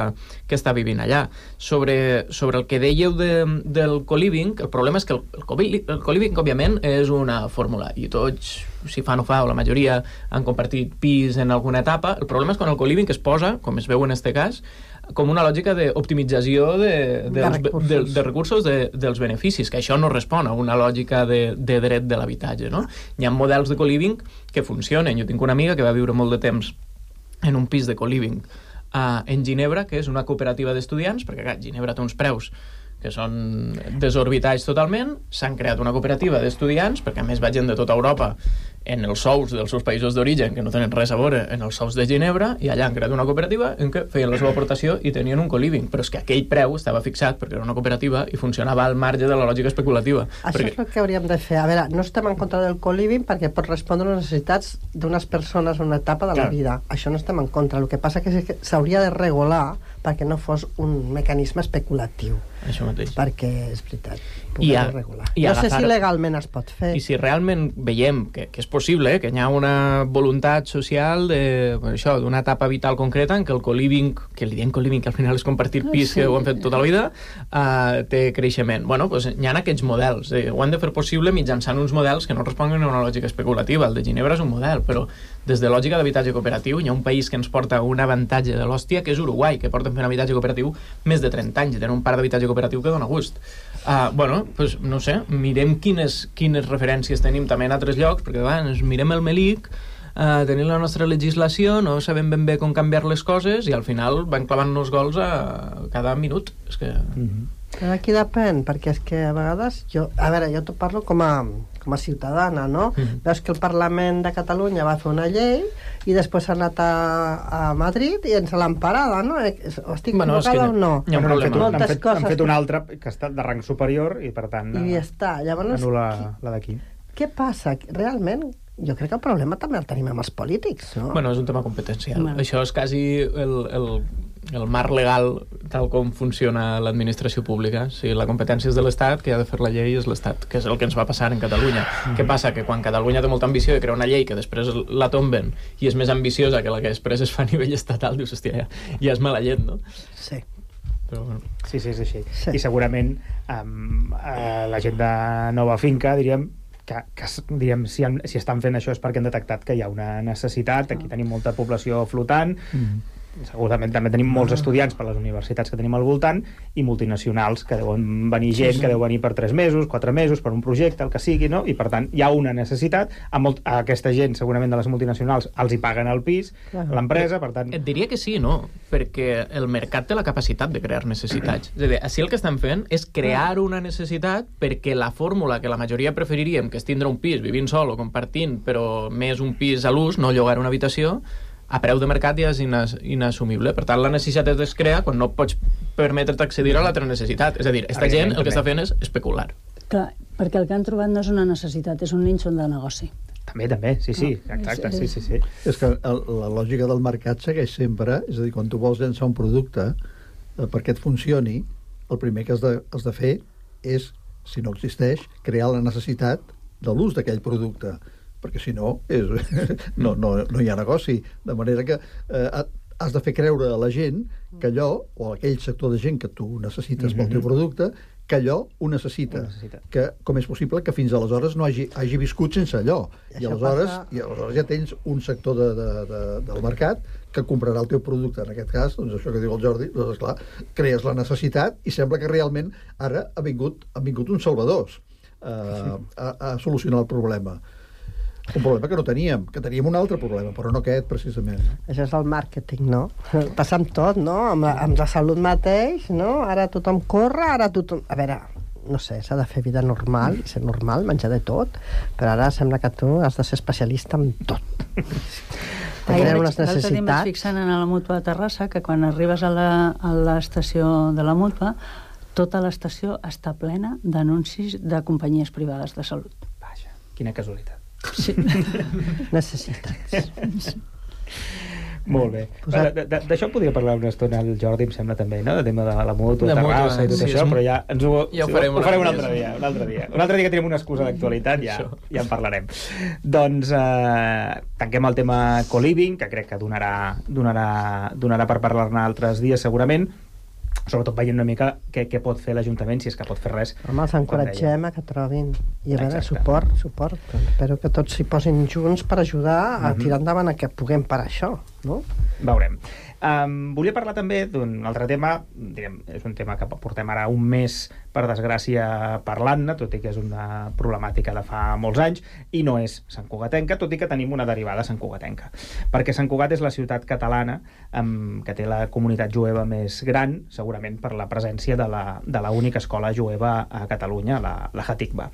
que està vivint allà. Sobre, sobre el que dèieu de, del co-living, el problema és que el, el, co-living, el co-living, òbviament, és una fórmula, i tots, si fa no fa, o la majoria han compartit pis en alguna etapa. El problema és quan el co-living es posa, com es veu en este cas, com una lògica d'optimització de, de, de, recursos. de, de recursos de, dels beneficis, que això no respon a una lògica de, de dret de l'habitatge, no? Hi ha models de co-living que funcionen. Jo tinc una amiga que va viure molt de temps en un pis de co-living uh, en Ginebra, que és una cooperativa d'estudiants, perquè clar, Ginebra té uns preus que són desorbitats totalment, s'han creat una cooperativa d'estudiants, perquè a més va gent de tota Europa en els sous dels seus països d'origen, que no tenen res a veure en els sous de Ginebra, i allà han creat una cooperativa en què feien la seva aportació i tenien un co-living, però és que aquell preu estava fixat perquè era una cooperativa i funcionava al marge de la lògica especulativa.
Això
perquè...
és el que hauríem de fer. A veure, no estem en contra del co-living perquè pot respondre a les necessitats d'unes persones en una etapa de la Clar. vida. Això no estem en contra. El que passa és que s'hauria de regular perquè no fos un mecanisme especulatiu.
Això mateix.
Perquè, és veritat,
I a,
regular.
I
no
agafar...
sé si legalment es pot fer.
I si realment veiem que, que és possible, eh, que hi ha una voluntat social de, bueno, això, d'una etapa vital concreta en què el co-living, que li diem co-living, que al final és compartir pis, sí. que ho han fet tota la vida, uh, té creixement. Bueno, doncs hi ha aquests models. Eh, ho han de fer possible mitjançant uns models que no responguin a una lògica especulativa. El de Ginebra és un model, però des de lògica d'habitatge cooperatiu hi ha un país que ens porta un avantatge de l'hòstia, que és Uruguai, que porten fent habitatge cooperatiu més de trenta anys i tenen un parc d'habitatge cooperatiu que dona gust. Uh, bueno, pues, no sé, mirem quines, quines referències tenim també en altres llocs, perquè abans mirem el Melic, uh, tenim la nostra legislació, no sabem ben bé com canviar les coses i al final van clavant-nos gols a cada minut. És que...
Mm-hmm. Però aquí depèn, perquè és que a vegades jo, a veure, jo t'ho parlo com a, com a ciutadana, no? Mm-hmm. Veus que el Parlament de Catalunya va fer una llei i després s'ha anat a, a Madrid i ens l'han parada, no? Estic
bueno,
equivocada o no?
Hi ha un problema. Han fet,
coses...
han fet una altra que ha estat de rang superior i per tant
I ja està. Llavors,
anul·la la d'aquí.
Què passa? Realment, jo crec que el problema també el tenim amb els polítics, no?
Bueno, és un tema competencial.
No.
Això és quasi el, el, el marc legal tal com funciona l'administració pública. Si la competència és de l'Estat, que ha de fer la llei és l'Estat, que és el que ens va passar en Catalunya. Mm-hmm. Què passa? Que quan Catalunya té molta ambició de crear una llei que després la tomben i és més ambiciosa que la que després es fa a nivell estatal, dius, hòstia, ja, ja és mala llet, no?
Sí.
Però, bueno. Sí, sí, és així.
Sí.
I segurament um, uh, la gent de Nova Finca, diríem, que, que diríem, si, han, si estan fent això és perquè han detectat que hi ha una necessitat, aquí tenim molta població flotant, mm. segurament també tenim molts estudiants per les universitats que tenim al voltant i multinacionals que deuen venir gent, sí, sí. que deu venir per tres mesos, quatre mesos, per un projecte, el que sigui, no? I per tant hi ha una necessitat, a, molt, a aquesta gent segurament de les multinacionals els hi paguen el pis, l'empresa, per tant...
Et diria que sí, no? Perquè el mercat té la capacitat de crear necessitats. És a dir, així el que estan fent és crear una necessitat perquè la fórmula que la majoria preferiríem, que és tindre un pis vivint sol o compartint, però més un pis a l'ús, no llogar una habitació, a preu de mercat ja és inas, inassumible. Per tant, la necessitat es crea quan no pots permetre't accedir a l'altra necessitat. És a dir, aquesta gent el que està fent és especular.
Clar, perquè el que han trobat no és una necessitat, és un nínxol de negoci.
També, també, sí, sí, exacte, sí, sí, sí.
És que el, la lògica del mercat segueix sempre, és a dir, quan tu vols llançar un producte, eh, perquè et funcioni, el primer que has de, has de fer és, si no existeix, crear la necessitat de l'ús d'aquell producte, perquè si no, és, no, no, no hi ha negoci. De manera que eh, has de fer creure a la gent que allò, o a aquell sector de gent que tu necessites pel teu producte, que allò ho necessita. ho necessita. Que, com és possible que fins aleshores no hagi, hagi viscut sense allò. I, I, aleshores, passa... I aleshores ja tens un sector de, de, de, del mercat que comprarà el teu producte. En aquest cas, doncs això que diu el Jordi, doncs esclar, crees la necessitat i sembla que realment ara ha vingut, ha vingut uns salvadors uh, a, a solucionar el problema. Un problema que no teníem, que teníem un altre problema, però no aquest, precisament.
Això és el màrqueting, no? Passa amb tot, no? Amb la, amb la salut mateix, no? Ara tothom corre, ara tothom... A veure, no sé, s'ha de fer vida normal, ser normal, menjar de tot, però ara sembla que tu has de ser especialista en tot.
Tenen unes necessitats... L'altre dia m'estic fixant en la Mútua de Terrassa, que quan arribes a l'estació de la Mútua, tota l'estació està plena d'anuncis de companyies privades de salut.
Vaja, quina casualitat.
Sí. Necessitats.
Molt bé. D'això podria parlar una estona el Jordi, em sembla també, no? De tema de la Mútua, de Terrassa i tot això, però ja ens ho,
ja ho farem,
ho farem un altre dia. Un altre dia, un altre dia que tenim una excusa d'actualitat, ja, ja en parlarem. Doncs eh, tanquem el tema co-living, que crec que donarà, donarà, donarà per parlar-ne altres dies segurament, sobretot veient una mica què, què pot fer l'Ajuntament, si és que pot fer res.
Home, els encoratgem a que trobin. I a veure, suport, suport. Espero que tots s'hi posin junts per ajudar a tirar endavant a que puguem parar això, no?
Veurem. Um, volia parlar també d'un altre tema, direm, és un tema que portem ara un mes, per desgràcia, parlant-ne, tot i que és una problemàtica de fa molts anys, i no és Sant Cugatenca, tot i que tenim una derivada Sant Cugatenca. Perquè Sant Cugat és la ciutat catalana um, que té la comunitat jueva més gran, segurament per la presència de la, de la única escola jueva a Catalunya, la, la Hatikva.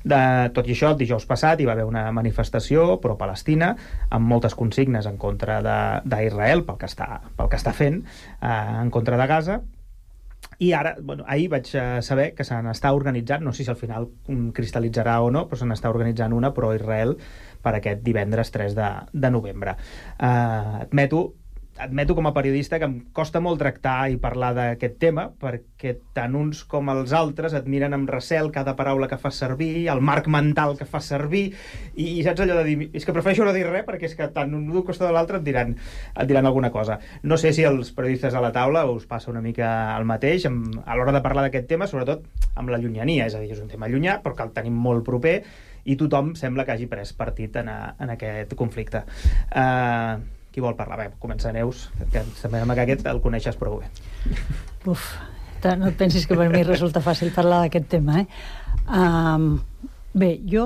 De, tot i això, el dijous passat hi va haver una manifestació pro-palestina amb moltes consignes en contra d'Israel pel que està pel que està fent eh, en contra de Gaza, i ara, bueno, ahir vaig saber que se n'està organitzant, no sé si al final cristal·litzarà o no, però se n'està organitzant una pro-Israel per aquest divendres tres de novembre. Eh, admeto admeto com a periodista que em costa molt tractar i parlar d'aquest tema, perquè tant uns com els altres et miren amb recel cada paraula que fas servir, el marc mental que fas servir, i, i saps allò de dir, és que prefereixo no dir res, perquè és que tant un d'un costat de l'altre et diran, et diran alguna cosa. No sé si els periodistes a la taula us passa una mica el mateix, amb, a l'hora de parlar d'aquest tema, sobretot amb la llunyania, és a dir, és un tema llunyà, però que el tenim molt proper, i tothom sembla que hagi pres partit en, a, en aquest conflicte. Eh... Uh, Qui vol parlar? Bé, comença Neus, que sembla que aquest el coneixes prou bé.
Uf, no et pensis que per mi resulta fàcil parlar d'aquest tema, eh? Um, bé, jo...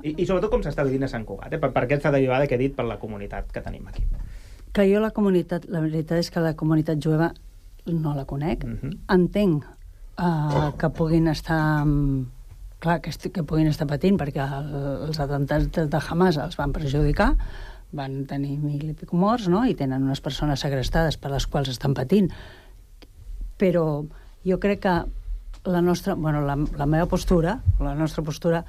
I, i sobretot com s'està vivint a Sant Cugat, eh? Per, per aquesta derivada que he dit per la comunitat que tenim aquí.
Que jo la comunitat, la veritat és que la comunitat jueva no la conec. Uh-huh. Entenc uh, que puguin estar... Clar, que, que puguin estar patint, perquè el, els atemptats de Hamas els van perjudicar, van tenir mil i pic morts, no? I tenen unes persones segrestades per les quals estan patint. Però jo crec que la nostra, bueno, la, la meva postura, la nostra postura,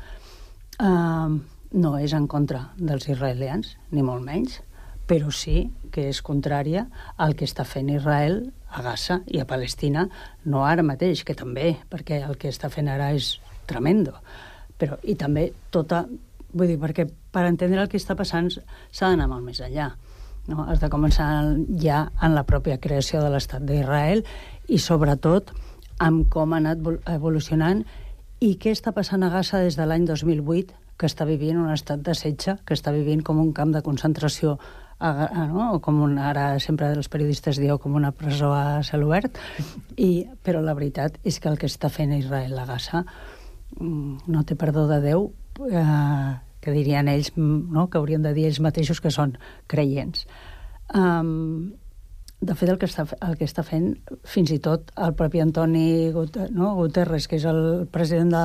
eh, no és en contra dels israelians, ni molt menys, però sí que és contrària al que està fent Israel a Gaza i a Palestina, no ara mateix, que també, perquè el que està fent ara és tremendo. Però, i també tota... Vull dir, perquè per entendre el que està passant s'ha d'anar molt més enllà. No? Has de començar ja en la pròpia creació de l'estat d'Israel i sobretot amb com ha anat evolucionant i què està passant a Gaza des de l'any dos mil vuit, que està vivint un estat de setge, que està vivint com un camp de concentració, a, no? O com un, ara sempre els periodistes dieu com una presó a cel obert, i, però la veritat és que el que està fent Israel a Gaza no té perdó de Déu, eh, que dirien ells, no? Que haurien de dir ells mateixos que són creients. Um, de fet, el que, està, el que està fent fins i tot el propi Antoni Guterres, no? Guterres, que és el president de,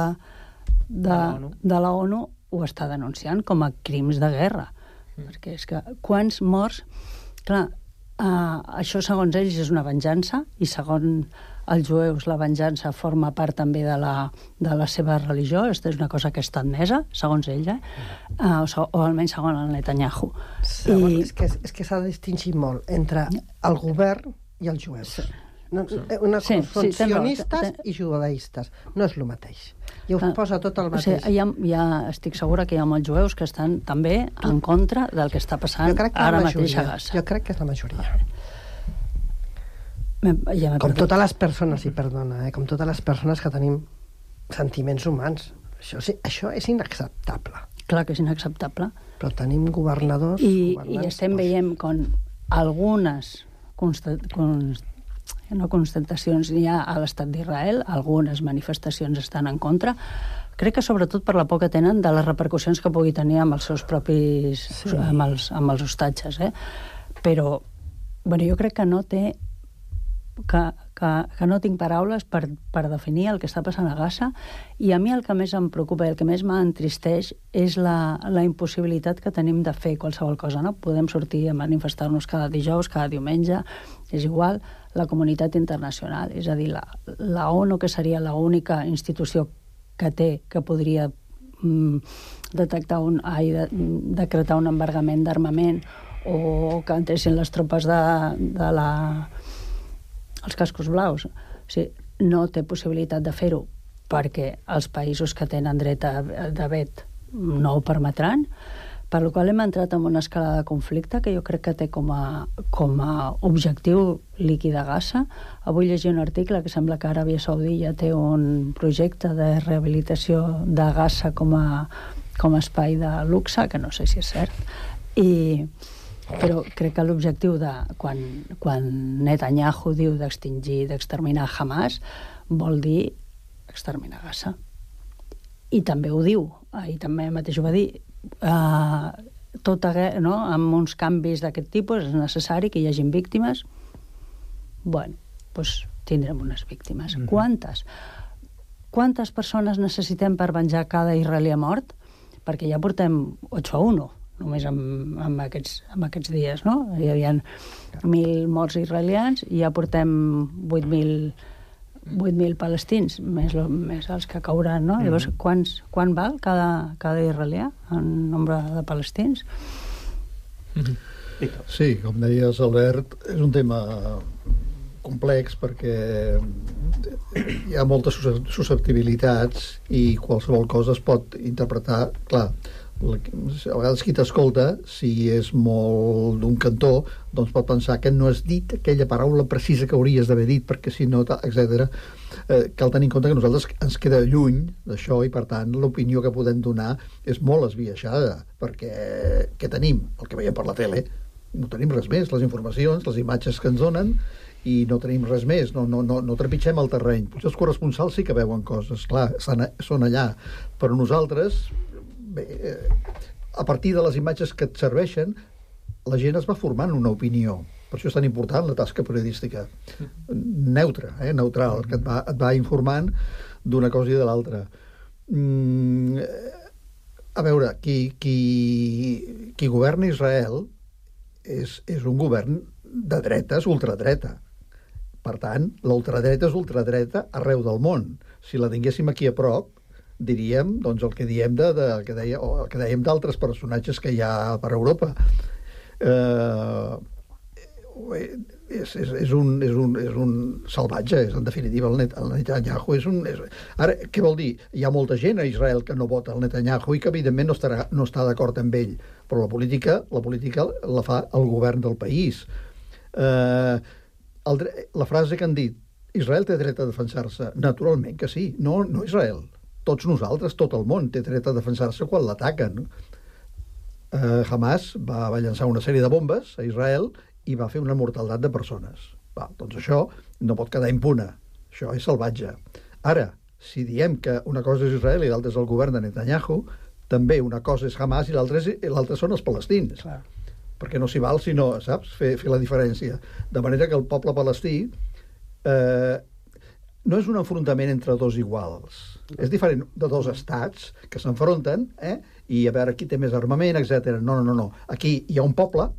de, de la ONU, ho està denunciant com a crims de guerra. Mm. Perquè és que quants morts... Clar, Uh, això, segons ells, és una venjança, i segons els jueus la venjança forma part també de la, de la seva religió. Aquesta és una cosa que està admesa, segons ells, eh? uh, o, o almenys segons el Netanyahu.
Segons, I... És que, és que s'ha de distingir molt entre el govern i els jueus. No, una cosa, sí, són sí, sionistes ten... i judaistes. No és el mateix. I ho posa tot el mateix.
O sigui, ja, ja estic segura que hi ha molts jueus que estan també en contra del que està passant ara mateix a Gaza.
Jo crec que és la majoria.
Ja
com totes les persones, i perdona, eh, com totes les persones que tenim sentiments humans. Això, sí, això és inacceptable.
Clar que és inacceptable.
Però tenim governadors...
I,
governants,
i estem doncs... veient com algunes constat, const, no constatacions hi ha a l'estat d'Israel, algunes manifestacions estan en contra. Crec que sobretot per la por que tenen de les repercussions que pugui tenir amb els seus propis... Sí. amb, els, amb els hostatges, eh? Però, bueno, jo crec que no té... Que, que, que no tinc paraules per, per definir el que està passant a Gaza, i a mi el que més em preocupa i el que més m'entristeix és la, la impossibilitat que tenim de fer qualsevol cosa, no? Podem sortir a manifestar-nos cada dijous, cada diumenge, és igual, la comunitat internacional, és a dir, la, la ONU, que seria l'única institució que té, que podria mm, detectar un, ai, de, decretar un embargament d'armament, o que entressin les tropes de, de la... els cascos blaus. O sigui, no té possibilitat de fer-ho perquè els països que tenen dret a, de vet no ho permetran, per la qual hem entrat en una escala de conflicte que jo crec que té com a, com a objectiu liquidar Gaza. Avui llegia un article que sembla que Aràbia Saudí ja té un projecte de rehabilitació de Gaza com a, com a espai de luxe, que no sé si és cert, i però crec que l'objectiu de quan, quan Netanyahu diu d'extingir, d'exterminar Hamas, vol dir exterminar Gaza. I també ho diu, i també mateix ho va dir, uh, tota, no? Amb uns canvis d'aquest tipus és necessari que hi hagin víctimes. Bueno, doncs tindrem unes víctimes. Mm-hmm. Quantes? Quantes persones necessitem per venjar cada israelià mort? Perquè ja portem ocho a uno. Només amb, amb, aquests, amb aquests dies, no? Hi havia mil morts israelians i ja portem vuit mil palestins, més, lo, més els que cauran, no? Mm-hmm. Llavors, quants, quan val cada, cada israelià en nombre de palestins?
Mm-hmm. Sí, com deies, Albert, és un tema complex perquè hi ha moltes susceptibilitats i qualsevol cosa es pot interpretar, clar, a vegades qui t'escolta, si és molt d'un cantó, doncs pot pensar que no has dit aquella paraula precisa que hauries d'haver dit, perquè si no, etcètera. Eh, cal tenir en compte que nosaltres ens queda lluny d'això i, per tant, l'opinió que podem donar és molt esbiaixada, perquè què tenim? El que veiem per la tele. No tenim res més, les informacions, les imatges que ens donen, i no tenim res més, no, no, no, no trepitgem el terreny. Potser els corresponsals sí que veuen coses, clar, són allà, però nosaltres... Bé, a partir de les imatges que et serveixen, la gent es va formant una opinió. Per això és tan important la tasca periodística. Neutra, eh? neutral, que et va, et va informant d'una cosa i de l'altra. Mm, a veure, qui, qui, qui governa Israel és, és un govern de dretes, ultradreta. Per tant, l'ultradreta és ultradreta arreu del món. Si la tinguéssim aquí a prop, diríem doncs, el que diem de, de, el que deia, o el que dèiem d'altres personatges que hi ha per Europa. Eh, és, és, és, un, és, un, és un salvatge, és, en definitiva, el, Net, el Netanyahu és un... És... Ara, què vol dir? Hi ha molta gent a Israel que no vota el Netanyahu i que, evidentment, no, estarà, no està d'acord amb ell, però la política, la política la fa el govern del país. Eh, el, la frase que han dit, Israel té dret a defensar-se, naturalment que sí, no, no Israel. Tots nosaltres, tot el món, té dret a defensar-se quan l'ataquen. Eh, Hamas va, va llançar una sèrie de bombes a Israel i va fer una mortaldat de persones. Va, doncs això no pot quedar impune. Això és salvatge. Ara, si diem que una cosa és Israel i l'altra és el govern de Netanyahu, també una cosa és Hamas i l'altra són els palestins. Clar. Perquè no s'hi val sinó, saps, fer, fer la diferència. De manera que el poble palestí eh, no és un enfrontament entre dos iguals. És diferent de dos estats que s'enfronten, eh? I a veure qui té més armament, etcètera. No, no, no, no. Aquí hi ha un poble,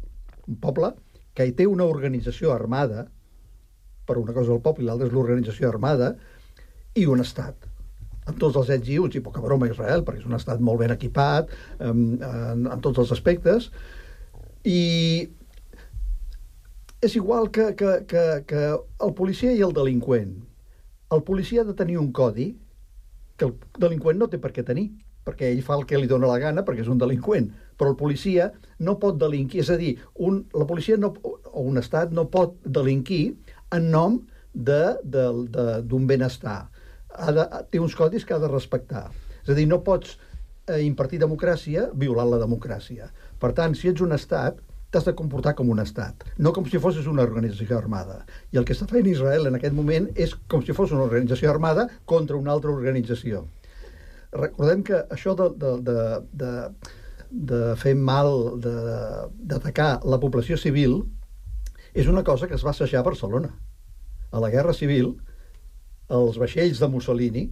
un poble que hi té una organització armada, per una cosa el poble i l'altra és l'organització armada, i un estat, amb tots els ets i uts, i poca broma Israel, perquè és un estat molt ben equipat en, en, en tots els aspectes, i és igual que, que, que, que el policia i el delinqüent. El policia ha de tenir un codi que el delinqüent no té per què tenir, perquè ell fa el que li dóna la gana perquè és un delinqüent, però el policia no pot delinquir, és a dir, un, la policia no, o un estat no pot delinquir en nom d'un benestar. Ha de, té uns codis que ha de respectar. És a dir, no pots eh, impartir democràcia violant la democràcia. Per tant, si ets un estat, t'has de comportar com un estat, no com si fossis una organització armada. I el que està fent Israel en aquest moment és com si fos una organització armada contra una altra organització. Recordem que això de, de, de, de, de fer mal, d'atacar la població civil, és una cosa que es va assajar a Barcelona. A la Guerra Civil, els vaixells de Mussolini,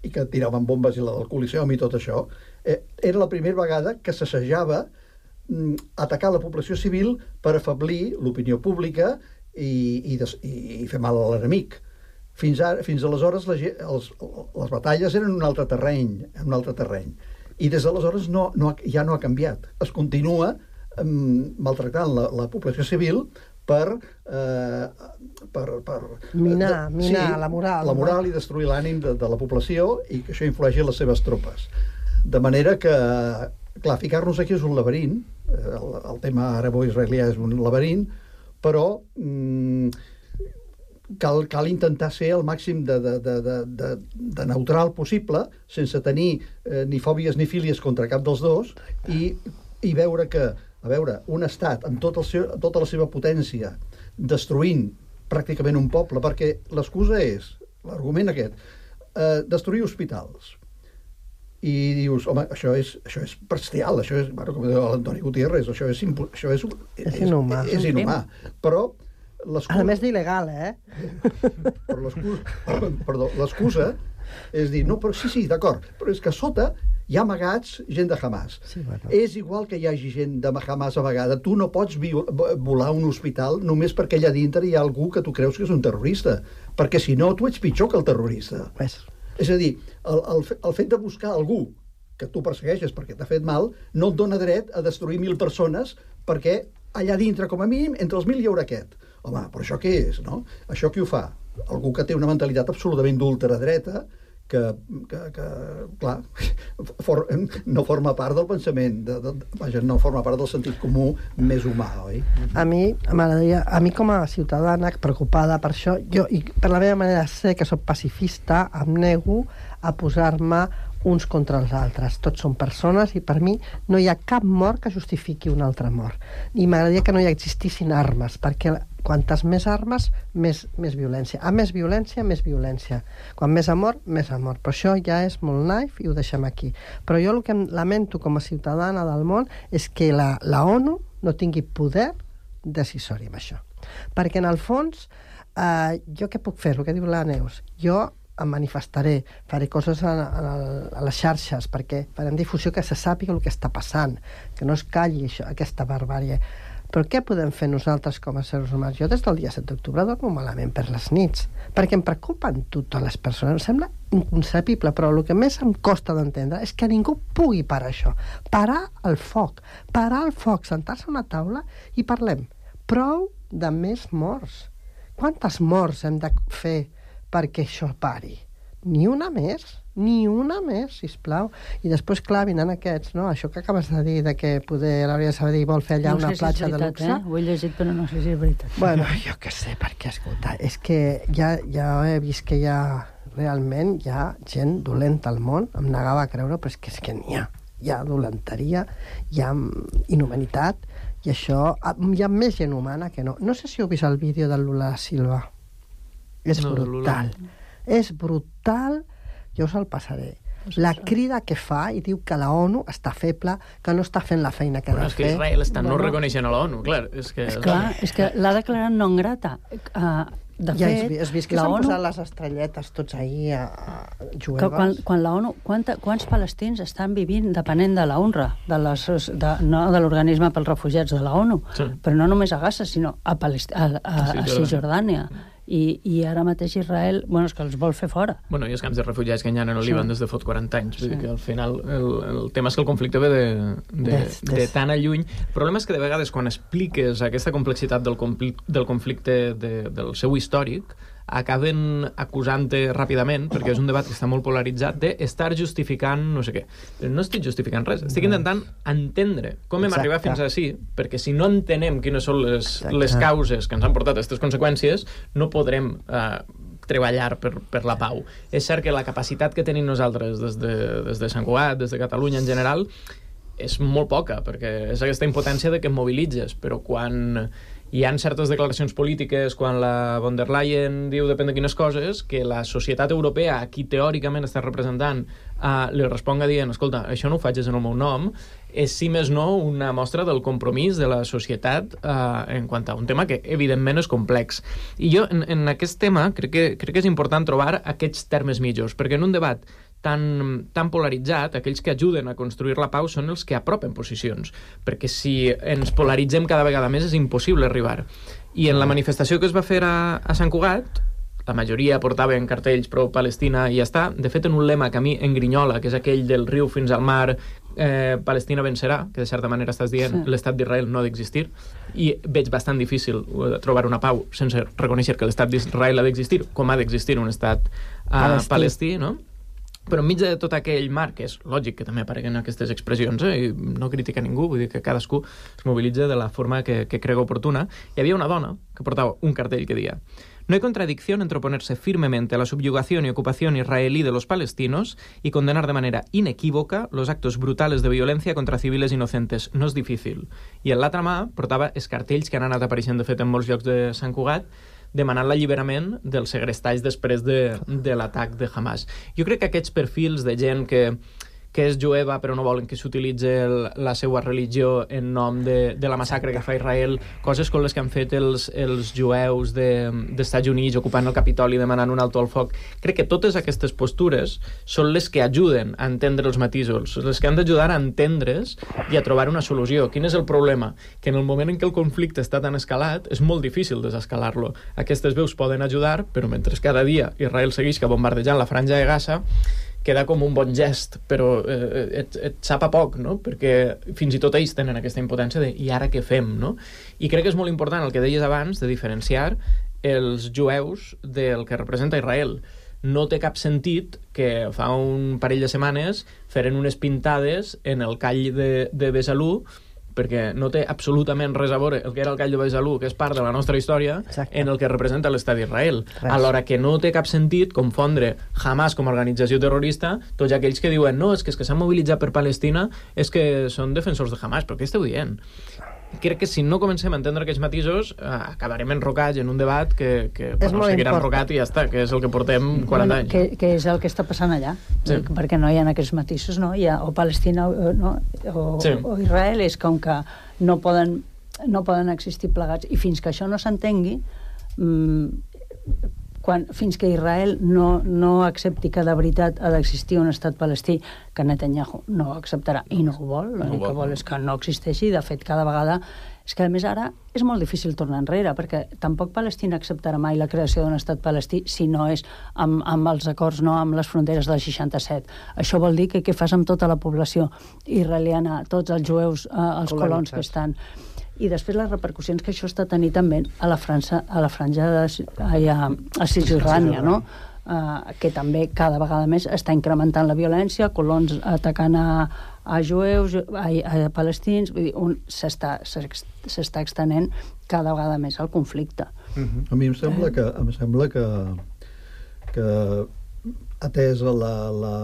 i que tiraven bombes i la del Coliseum i tot això, eh, era la primera vegada que s'assajava atacar la població civil per afeblir l'opinió pública i, i, des, i, i fer mal a l'enemic. Fins, ara, fins aleshores la, els, les batalles eren un altre terreny, un altre terreny. I des d'aleshores no, no, ja no ha canviat. Es continua um, maltractant la, la població civil per... Eh, per, per
minar,
de,
minar
sí,
la moral.
La moral no? I destruir l'ànim de, de la població i que això influeixi en les seves tropes. De manera que, clar, ficar-nos aquí és un laberint, el, el tema arabo-israelià és un laberint, però mm, cal, cal intentar ser el màxim de, de, de, de, de, de neutral possible, sense tenir eh, ni fòbies ni fílies contra cap dels dos, i, i veure que, a veure, un estat amb tot el seu, tota la seva potència destruint pràcticament un poble, perquè l'excusa és, l'argument aquest, eh, destruir hospitals. I dius, home, això és, això és bestial, això és, bueno, com diu l'Antoni Gutiérrez, això és, això és, és,
és inhumà.
És, és inhumà. Però
a més d'il·legal, eh?
Però l'excusa, perdó, l'excusa és dir, no, però sí, sí, d'acord, però és que a sota hi ha amagats gent de Hamas.
Sí, bueno.
És igual que hi hagi gent de Hamas a vegada, tu no pots volar un hospital només perquè allà dintre hi ha algú que tu creus que és un terrorista, perquè si no tu ets pitjor que el terrorista.
Pues.
És a dir, el, el, el fet de buscar algú que tu persegueixes perquè t'ha fet mal no et dona dret a destruir mil persones perquè allà dintre, com a mínim, entre els mil hi haurà aquest. Home, però això què és, no? Això qui ho fa? Algú que té una mentalitat absolutament d'ultradreta que, que, que clar, for, no forma part del pensament, de, de, vaja, no forma part del sentit comú més humà, oi?
A mi, m'agradaria, a mi com a ciutadana preocupada per això, jo, i per la meva manera de ser, que soc pacifista, em nego a posar-me uns contra els altres. Tots són persones i per mi no hi ha cap mort que justifiqui una altra mort. I m'agradaria que no hi existissin armes, perquè quantes més armes, més, més violència. A més violència, més violència. Quan més amor, més amor. Però això ja és molt naif i ho deixem aquí. Però jo el que em lamento com a ciutadana del món és que la, la ONU no tingui poder decisori amb això. Perquè en el fons, eh, jo què puc fer? El que diu la Neus. Jo em manifestaré, faré coses a, a, a les xarxes, perquè farem difusió que se sàpiga el que està passant, que no es calli això, aquesta barbàrie. Però què podem fer nosaltres com a seres humans? Jo des del dia set d'octubre dormo malament per les nits, perquè em preocupen totes les persones. Em sembla inconcebible, però el que més em costa d'entendre és que ningú pugui parar això. Parar el foc. Parar el foc, sentar-se a una taula i parlem. Prou de més morts. Quantes morts hem de fer perquè això pari? Ni una més, ni una més, sisplau. I després, clar, vinen aquests, no? Això que acabes de dir, de que poder l'Àrea de Sabadell vol fer allà
no
una
sé
platja
si és veritat,
de luxe.
Eh? Ho he llegit, però no sé si és veritat.
Bueno, jo què sé, perquè, escolta, és que ja, ja he vist que hi ha, realment, hi ha gent dolenta al món, em negava a creure, però és que, és que n'hi ha. Hi ha dolenteria, hi ha inhumanitat, i això, hi ha més gent humana que no. No sé si heu vist el vídeo de Lula da Silva. És
no,
brutal. És brutal, jo us el passaré. la crida que fa i diu que la ONU està feble, que no està fent la feina que ha
Bueno,
de
és que
fer.
Israel està no
Bueno.
reconeixent a la ONU, clar. És que,
És clar, és que l'ha declarat non grata. Uh, de
Ja
fet,
has, vi- has vist que
la
s'han
ONU,
posat les estrelletes tots ahir a, a
que
jueves?
quan, quan la ONU, quanta, quants palestins estan vivint depenent de la UNRWA, de, les, de, no de l'organisme pels refugiats de la ONU,
Sí.
però no només a Gaza, sinó a, Palest a, a, a Cisjordània. I, I ara mateix Israel, bueno, és que els vol fer fora.
Bueno, i els camps de refugiats que hi ha en el
Sí.
Líban des de fot quaranta anys. Vull
Sí.
dir que al final el, el tema és que el conflicte ve de, de,
Des-
de
des-
tan a lluny. El problema és que de vegades quan expliques aquesta complexitat del, compli del conflicte de, del seu històric, acaben acusant-te ràpidament, perquè és un debat que està molt polaritzat, d'estar justificant no sé què. Però no estic justificant res, estic intentant entendre com hem
Exacte.
arribat fins ací, perquè si no entenem quines són les,
Exacte.
les causes que ens han portat a aquestes conseqüències, no podrem eh, treballar per, per la pau. És cert que la capacitat que tenim nosaltres des de, des de Sant Cugat, des de Catalunya en general, és molt poca, perquè és aquesta impotència de que et mobilitzes, però quan hi ha certes declaracions polítiques, quan la von der Leyen diu depèn de quines coses, que la societat europea, a qui teòricament està representant, uh, li responga dient, escolta, això no ho faig en el meu nom, és, si més no, una mostra del compromís de la societat uh, en quant a un tema que, evidentment, és complex. I jo, en, en aquest tema, crec que, crec que és important trobar aquests termes mitjors, perquè en un debat tan, tan polaritzat, aquells que ajuden a construir la pau són els que apropen posicions, perquè si ens polaritzem cada vegada més és impossible arribar. I en la manifestació que es va fer a, a Sant Cugat, la majoria portaven cartells pro-Palestina i ja està. De fet, en un lema que a mi engrinyola, que és aquell del riu fins al mar, eh, Palestina vencerà, que de certa manera estàs dient, sí. l'estat d'Israel no ha d'existir, i veig bastant difícil trobar una pau sense reconèixer que l'estat d'Israel ha d'existir, com ha d'existir un estat eh, palestí. palestí, no? Però enmig de tot aquell marc, que és lògic que també apareguen aquestes expressions, eh, i no critica ningú, vull dir que cadascú es mobilitza de la forma que, que crega oportuna, hi havia una dona que portava un cartell que deia: no hay contradicción entre oponerse firmemente a la subyugación y ocupación israelí de los palestinos y condenar de manera inequívoca los actos brutales de violencia contra civiles inocentes. No és difícil. I en l'altra mà portava els cartells que han anat apareixent, de fet, en molts llocs de Sant Cugat, demanant l'alliberament dels segrestats després de, de l'atac de Hamas. Jo crec que aquests perfils de gent que, que és jueva però no volen que s'utilitzi la seva religió en nom de, de la massacre que fa Israel, coses com les que han fet els, els jueus de, dels Estats Units ocupant el Capitoli demanant un alto al foc, crec que totes aquestes postures són les que ajuden a entendre els matisos, les que han d'ajudar a entendre's i a trobar una solució. Quin és el problema? Que en el moment en què el conflicte està tan escalat és molt difícil desescalar-lo. Aquestes veus poden ajudar, però mentre cada dia Israel segueix bombardejant la franja de Gaza, queda com un bon gest, però eh, et, et sap a poc, no? Perquè fins i tot ells tenen aquesta impotència de i ara què fem, no? I crec que és molt important el que deies abans de diferenciar els jueus del que representa Israel. No té cap sentit que fa un parell de setmanes feren unes pintades en el call de, de Besalú, perquè no té absolutament res a veure el que era el call de Besalú, que és part de la nostra història, exacte, en el que representa l'estat d'Israel. Alhora que no té cap sentit confondre Hamas com a organització terrorista tots aquells que diuen no, és que, és que s'han mobilitzat per Palestina és que són defensors de Hamas. Però què esteu dient? Crec que si no comencem a entendre aquests matisos eh, acabarem enrocats en un debat que, que bueno, seguirà enrocat i ja està, que és el que portem quaranta
bueno,
anys.
Que, que és el que està passant allà, sí. Perquè no hi ha aquests matisos, no? Hi ha o Palestina o, no? o, sí. o Israel, és com que no poden, no poden existir plegats, i fins que això no s'entengui, mmm, quan, fins que Israel no, no accepti que de veritat ha d'existir un estat palestí, que Netanyahu no ho acceptarà i no ho vol, l'únic no que vol és que no existeixi. De fet, cada vegada és que a més ara és molt difícil tornar enrere, perquè tampoc Palestina acceptarà mai la creació d'un estat palestí si no és amb, amb els acords, no amb les fronteres del seixanta-set. Això vol dir que què fas amb tota la població israeliana, tots els jueus, eh, els colons que estan... I després les repercussions que això està tenint també a la França, a la franja de, a, a Cisjordània, no? Uh, que també cada vegada més està incrementant la violència, colons atacant a, a jueus, a, a palestins, vull dir, un, s'està, s'està extenent cada vegada més el conflicte.
Uh-huh. A mi em sembla que, em sembla que, que atesa la, la,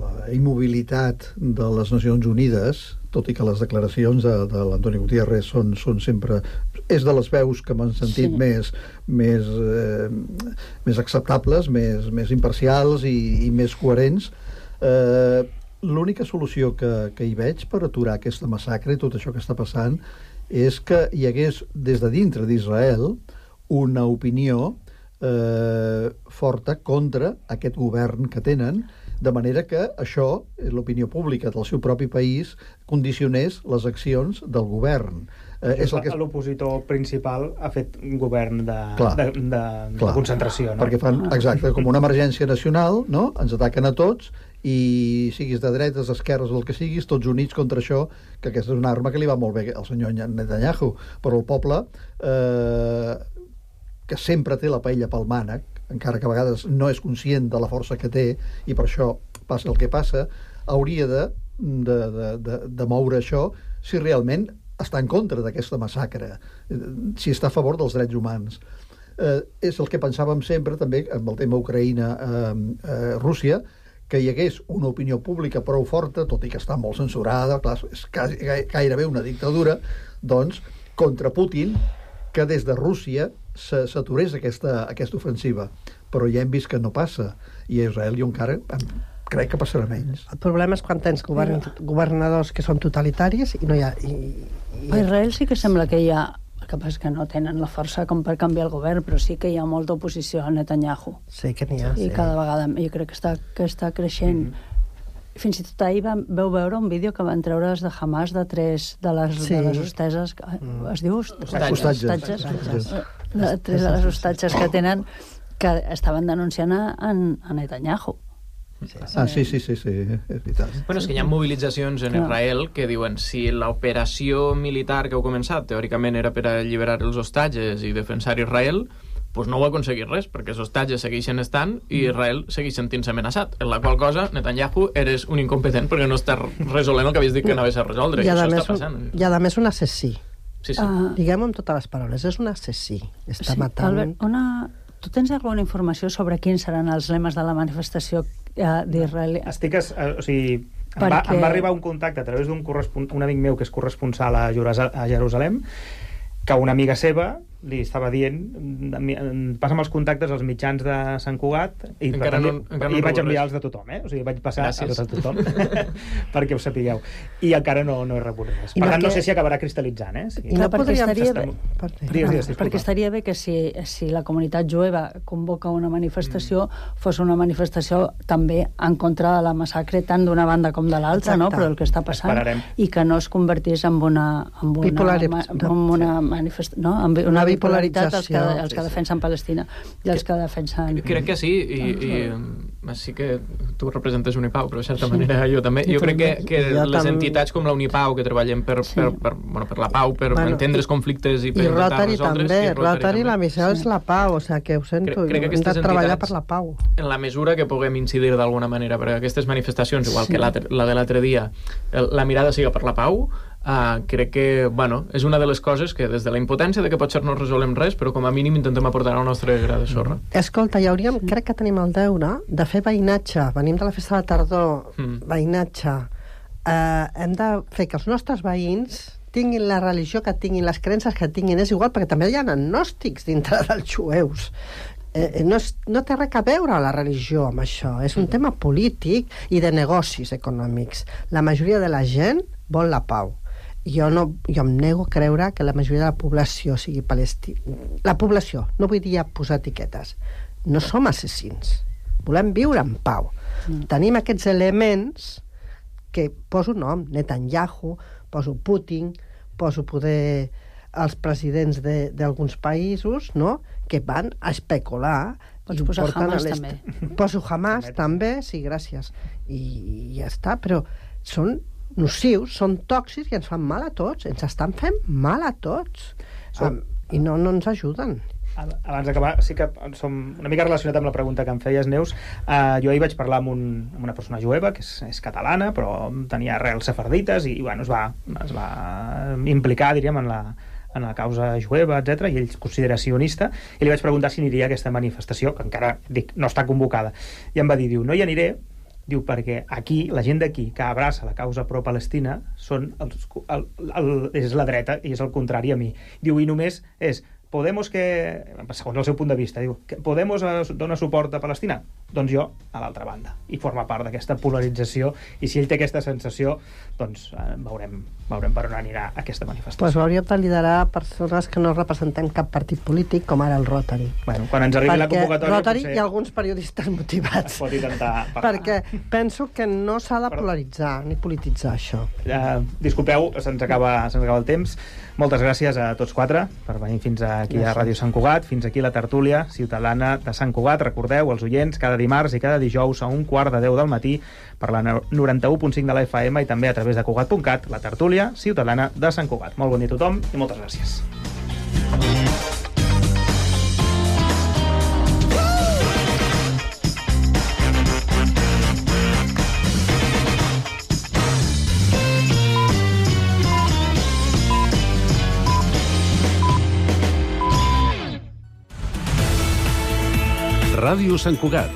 la immobilitat de les Nacions Unides, tot i que les declaracions de, de l'Antoni Gutiérrez són, són sempre... És de les veus que m'han sentit sí. més, més, eh, més acceptables, més, més imparcials i, i més coherents. Eh, L'única solució que, que hi veig per aturar aquesta massacre i tot això que està passant és que hi hagués des de dintre d'Israel una opinió eh, forta contra aquest govern que tenen, de manera que això, l'opinió pública del seu propi país, condicionés les accions del govern. Eh, és el que...
L'opositor principal ha fet un govern de,
clar,
de, de,
clar,
de concentració, no?
Perquè fan, exacte, com una emergència nacional, no? Ens ataquen a tots i siguis de dretes, d'esquerres o el que siguis, tots units contra això, que aquesta és una arma que li va molt bé al senyor Netanyahu, però el poble, eh, que sempre té la paella pel mànec, encara que a vegades no és conscient de la força que té, i per això passa el que passa, hauria de, de, de, de, de moure això si realment està en contra d'aquesta massacre, si està a favor dels drets humans. Eh, és el que pensàvem sempre, també, amb el tema Ucraïna-Rússia, eh, eh, que hi hagués una opinió pública prou forta, tot i que està molt censurada, clar, és quasi, gairebé una dictadura, doncs, contra Putin, que des de Rússia s'aturés aquesta, aquesta ofensiva. Però ja hem vist que no passa, i a Israel jo encara crec que passarà menys.
El problema és quan tens govern, governadors que són totalitaris i no hi ha... I, i...
A Israel sí que sembla que hi ha... El que passa és que no tenen la força com per canviar el govern, però sí que hi ha molta oposició a Netanyahu.
Sí que n'hi ha,
I
sí.
cada vegada jo crec que està, que està creixent. Mm-hmm. Fins i tot ahir vam, veu veure un vídeo que van treure's de Hamas de tres de les, sí. de les hosteses... Mm. Es diu?
Hostatges.
Hostatges. Hostatges. De tres de les hostatges que tenen que estaven denunciant a, a Netanyahu.
Sí. Ah, sí, sí, sí, sí, és veritat.
Bueno, és que hi ha mobilitzacions en Israel que diuen si l'operació militar que heu començat teòricament era per alliberar els hostatges i defensar Israel, doncs no ho ha aconseguit res, perquè els hostatges segueixen estant i Israel segueix sentint-se amenaçat, en la qual cosa Netanyahu eres un incompetent perquè no estàs resolent el que havies dit que anaves a resoldre, i, i això està passant.
Un, I a més un assassí.
Sí, sí.
Uh, Diguem-ho amb totes les paraules, és un assassí. Està
sí,
matant...
Albert, una... Tu tens alguna informació sobre quins seran els lemes de la manifestació eh, d'Israel?
Estic... Es, eh, o sigui, em,
Perquè...
va, em va arribar un contacte a través d'un correspon... un amic meu que és corresponsal a, Jerusa... a Jerusalem, que una amiga seva li estava dient, passa'm els contactes als mitjans de Sant Cugat i, per tant, no, i vaig enviar els de tothom, eh? O sigui, vaig passar Gràcies. a tot a tothom perquè ho sapigueu. I encara no, no he rebut res. Per I tant, no, que... no sé si acabarà cristal·litzant, eh? Sí.
I no podríem... Estaria bé...
Digues, digues,
perquè estaria bé que si, si la comunitat jueva convoca una manifestació, mm. fos una manifestació també en contra de la massacre tant d'una banda com de l'altra, no? Però el que està passant,
Esperarem.
i que no es convertís en una, en una,
Bipolaritat.
en una manifestació, no? En una bipolaritat els que, els que defensen Palestina i els que defensen...
Crec que sí, i, i sí que tu representes Unipau, però de certa sí. manera jo també. Jo crec que, que les entitats com la Unipau, que treballem per, sí. per, per, bueno, per la pau, per bueno, entendre els conflictes i per
i
intentar
Rotary
resoldre's...
També.
I Rotary,
Rotary
també.
La missió sí. és la pau, o sigui, que ho sento, crec, crec que hem de treballar per la pau.
En la mesura que puguem incidir d'alguna manera, perquè aquestes manifestacions, igual sí. que la, la de l'altre dia, la mirada siga per la pau, Uh, crec que, bueno, és una de les coses que des de la impotència de que potser no resolem res, però com a mínim intentem aportar el nostre gra de sorra.
Escolta, hi hauríem, sí. crec que tenim el deure de fer veïnatge. Venim de la festa de la tardor, mm. veïnatge. Uh, hem de fer que els nostres veïns tinguin la religió que tinguin, les creences que tinguin, és igual, perquè també hi ha agnòstics dintre dels jueus. Eh, no, és, no té res a veure la religió amb això, és un mm. tema polític i de negocis econòmics. La majoria de la gent vol la pau. Jo, no, jo em nego a creure que la majoria de la població sigui palestina. La població, no vull dir posar etiquetes. No som assassins. Volem viure en pau. Mm. Tenim aquests elements que poso nom, Netanyahu, poso Putin, poso poder els presidents d'alguns països, no?, que van a especular.
Pots posar Hamas també.
Poso Hamas també, sí, gràcies. I, i ja està, però són nocius, són tòxics i ens fan mal a tots, ens estan fent mal a tots. Som... Um, i no, no ens ajuden.
Abans d'acabar, sí que som una mica relacionat amb la pregunta que em feies, Neus. Uh, jo ahir vaig parlar amb, un, amb una persona jueva que és, és catalana, però tenia arrels sefardites i bueno, es, va, es va implicar, diríem, en la, en la causa jueva, etcètera, i ell es considera sionista, i li vaig preguntar si aniria a aquesta manifestació, que encara dic, no està convocada. I em va dir, diu, no hi aniré, diu, perquè aquí, la gent d'aquí que abraça la causa pro-Palestina són els, el, el, és la dreta i és el contrari a mi. Diu, i només és Podemos que, segons el seu punt de vista, diu, que Podemos dona suport a Palestina? doncs jo a l'altra banda, i forma part d'aquesta polarització, i si ell té aquesta sensació, doncs eh, veurem, veurem per on anirà aquesta manifestació.
Pues hauríem de liderar persones que no representem cap partit polític, com ara el Rotary.
Bueno, quan ens arribi
Perquè
la convocatòria...
Rotary
potser
i alguns periodistes motivats.
es pot intentar parlar.
Perquè penso que no s'ha de polaritzar ni polititzar això.
Uh, disculpeu, se'ns acaba, se'ns acaba el temps. Moltes gràcies a tots quatre per venir fins aquí gràcies. a Ràdio Sant Cugat, fins aquí la tertúlia ciutadana de Sant Cugat. Recordeu, els oients, cada dimarts i cada dijous a un quart de deu del matí per la noranta-u punt cinc de la F M i també a través de Cugat punt cat, la tertúlia ciutadana de Sant Cugat. Molt bon dia a tothom i moltes gràcies.
Ràdio Sant Cugat,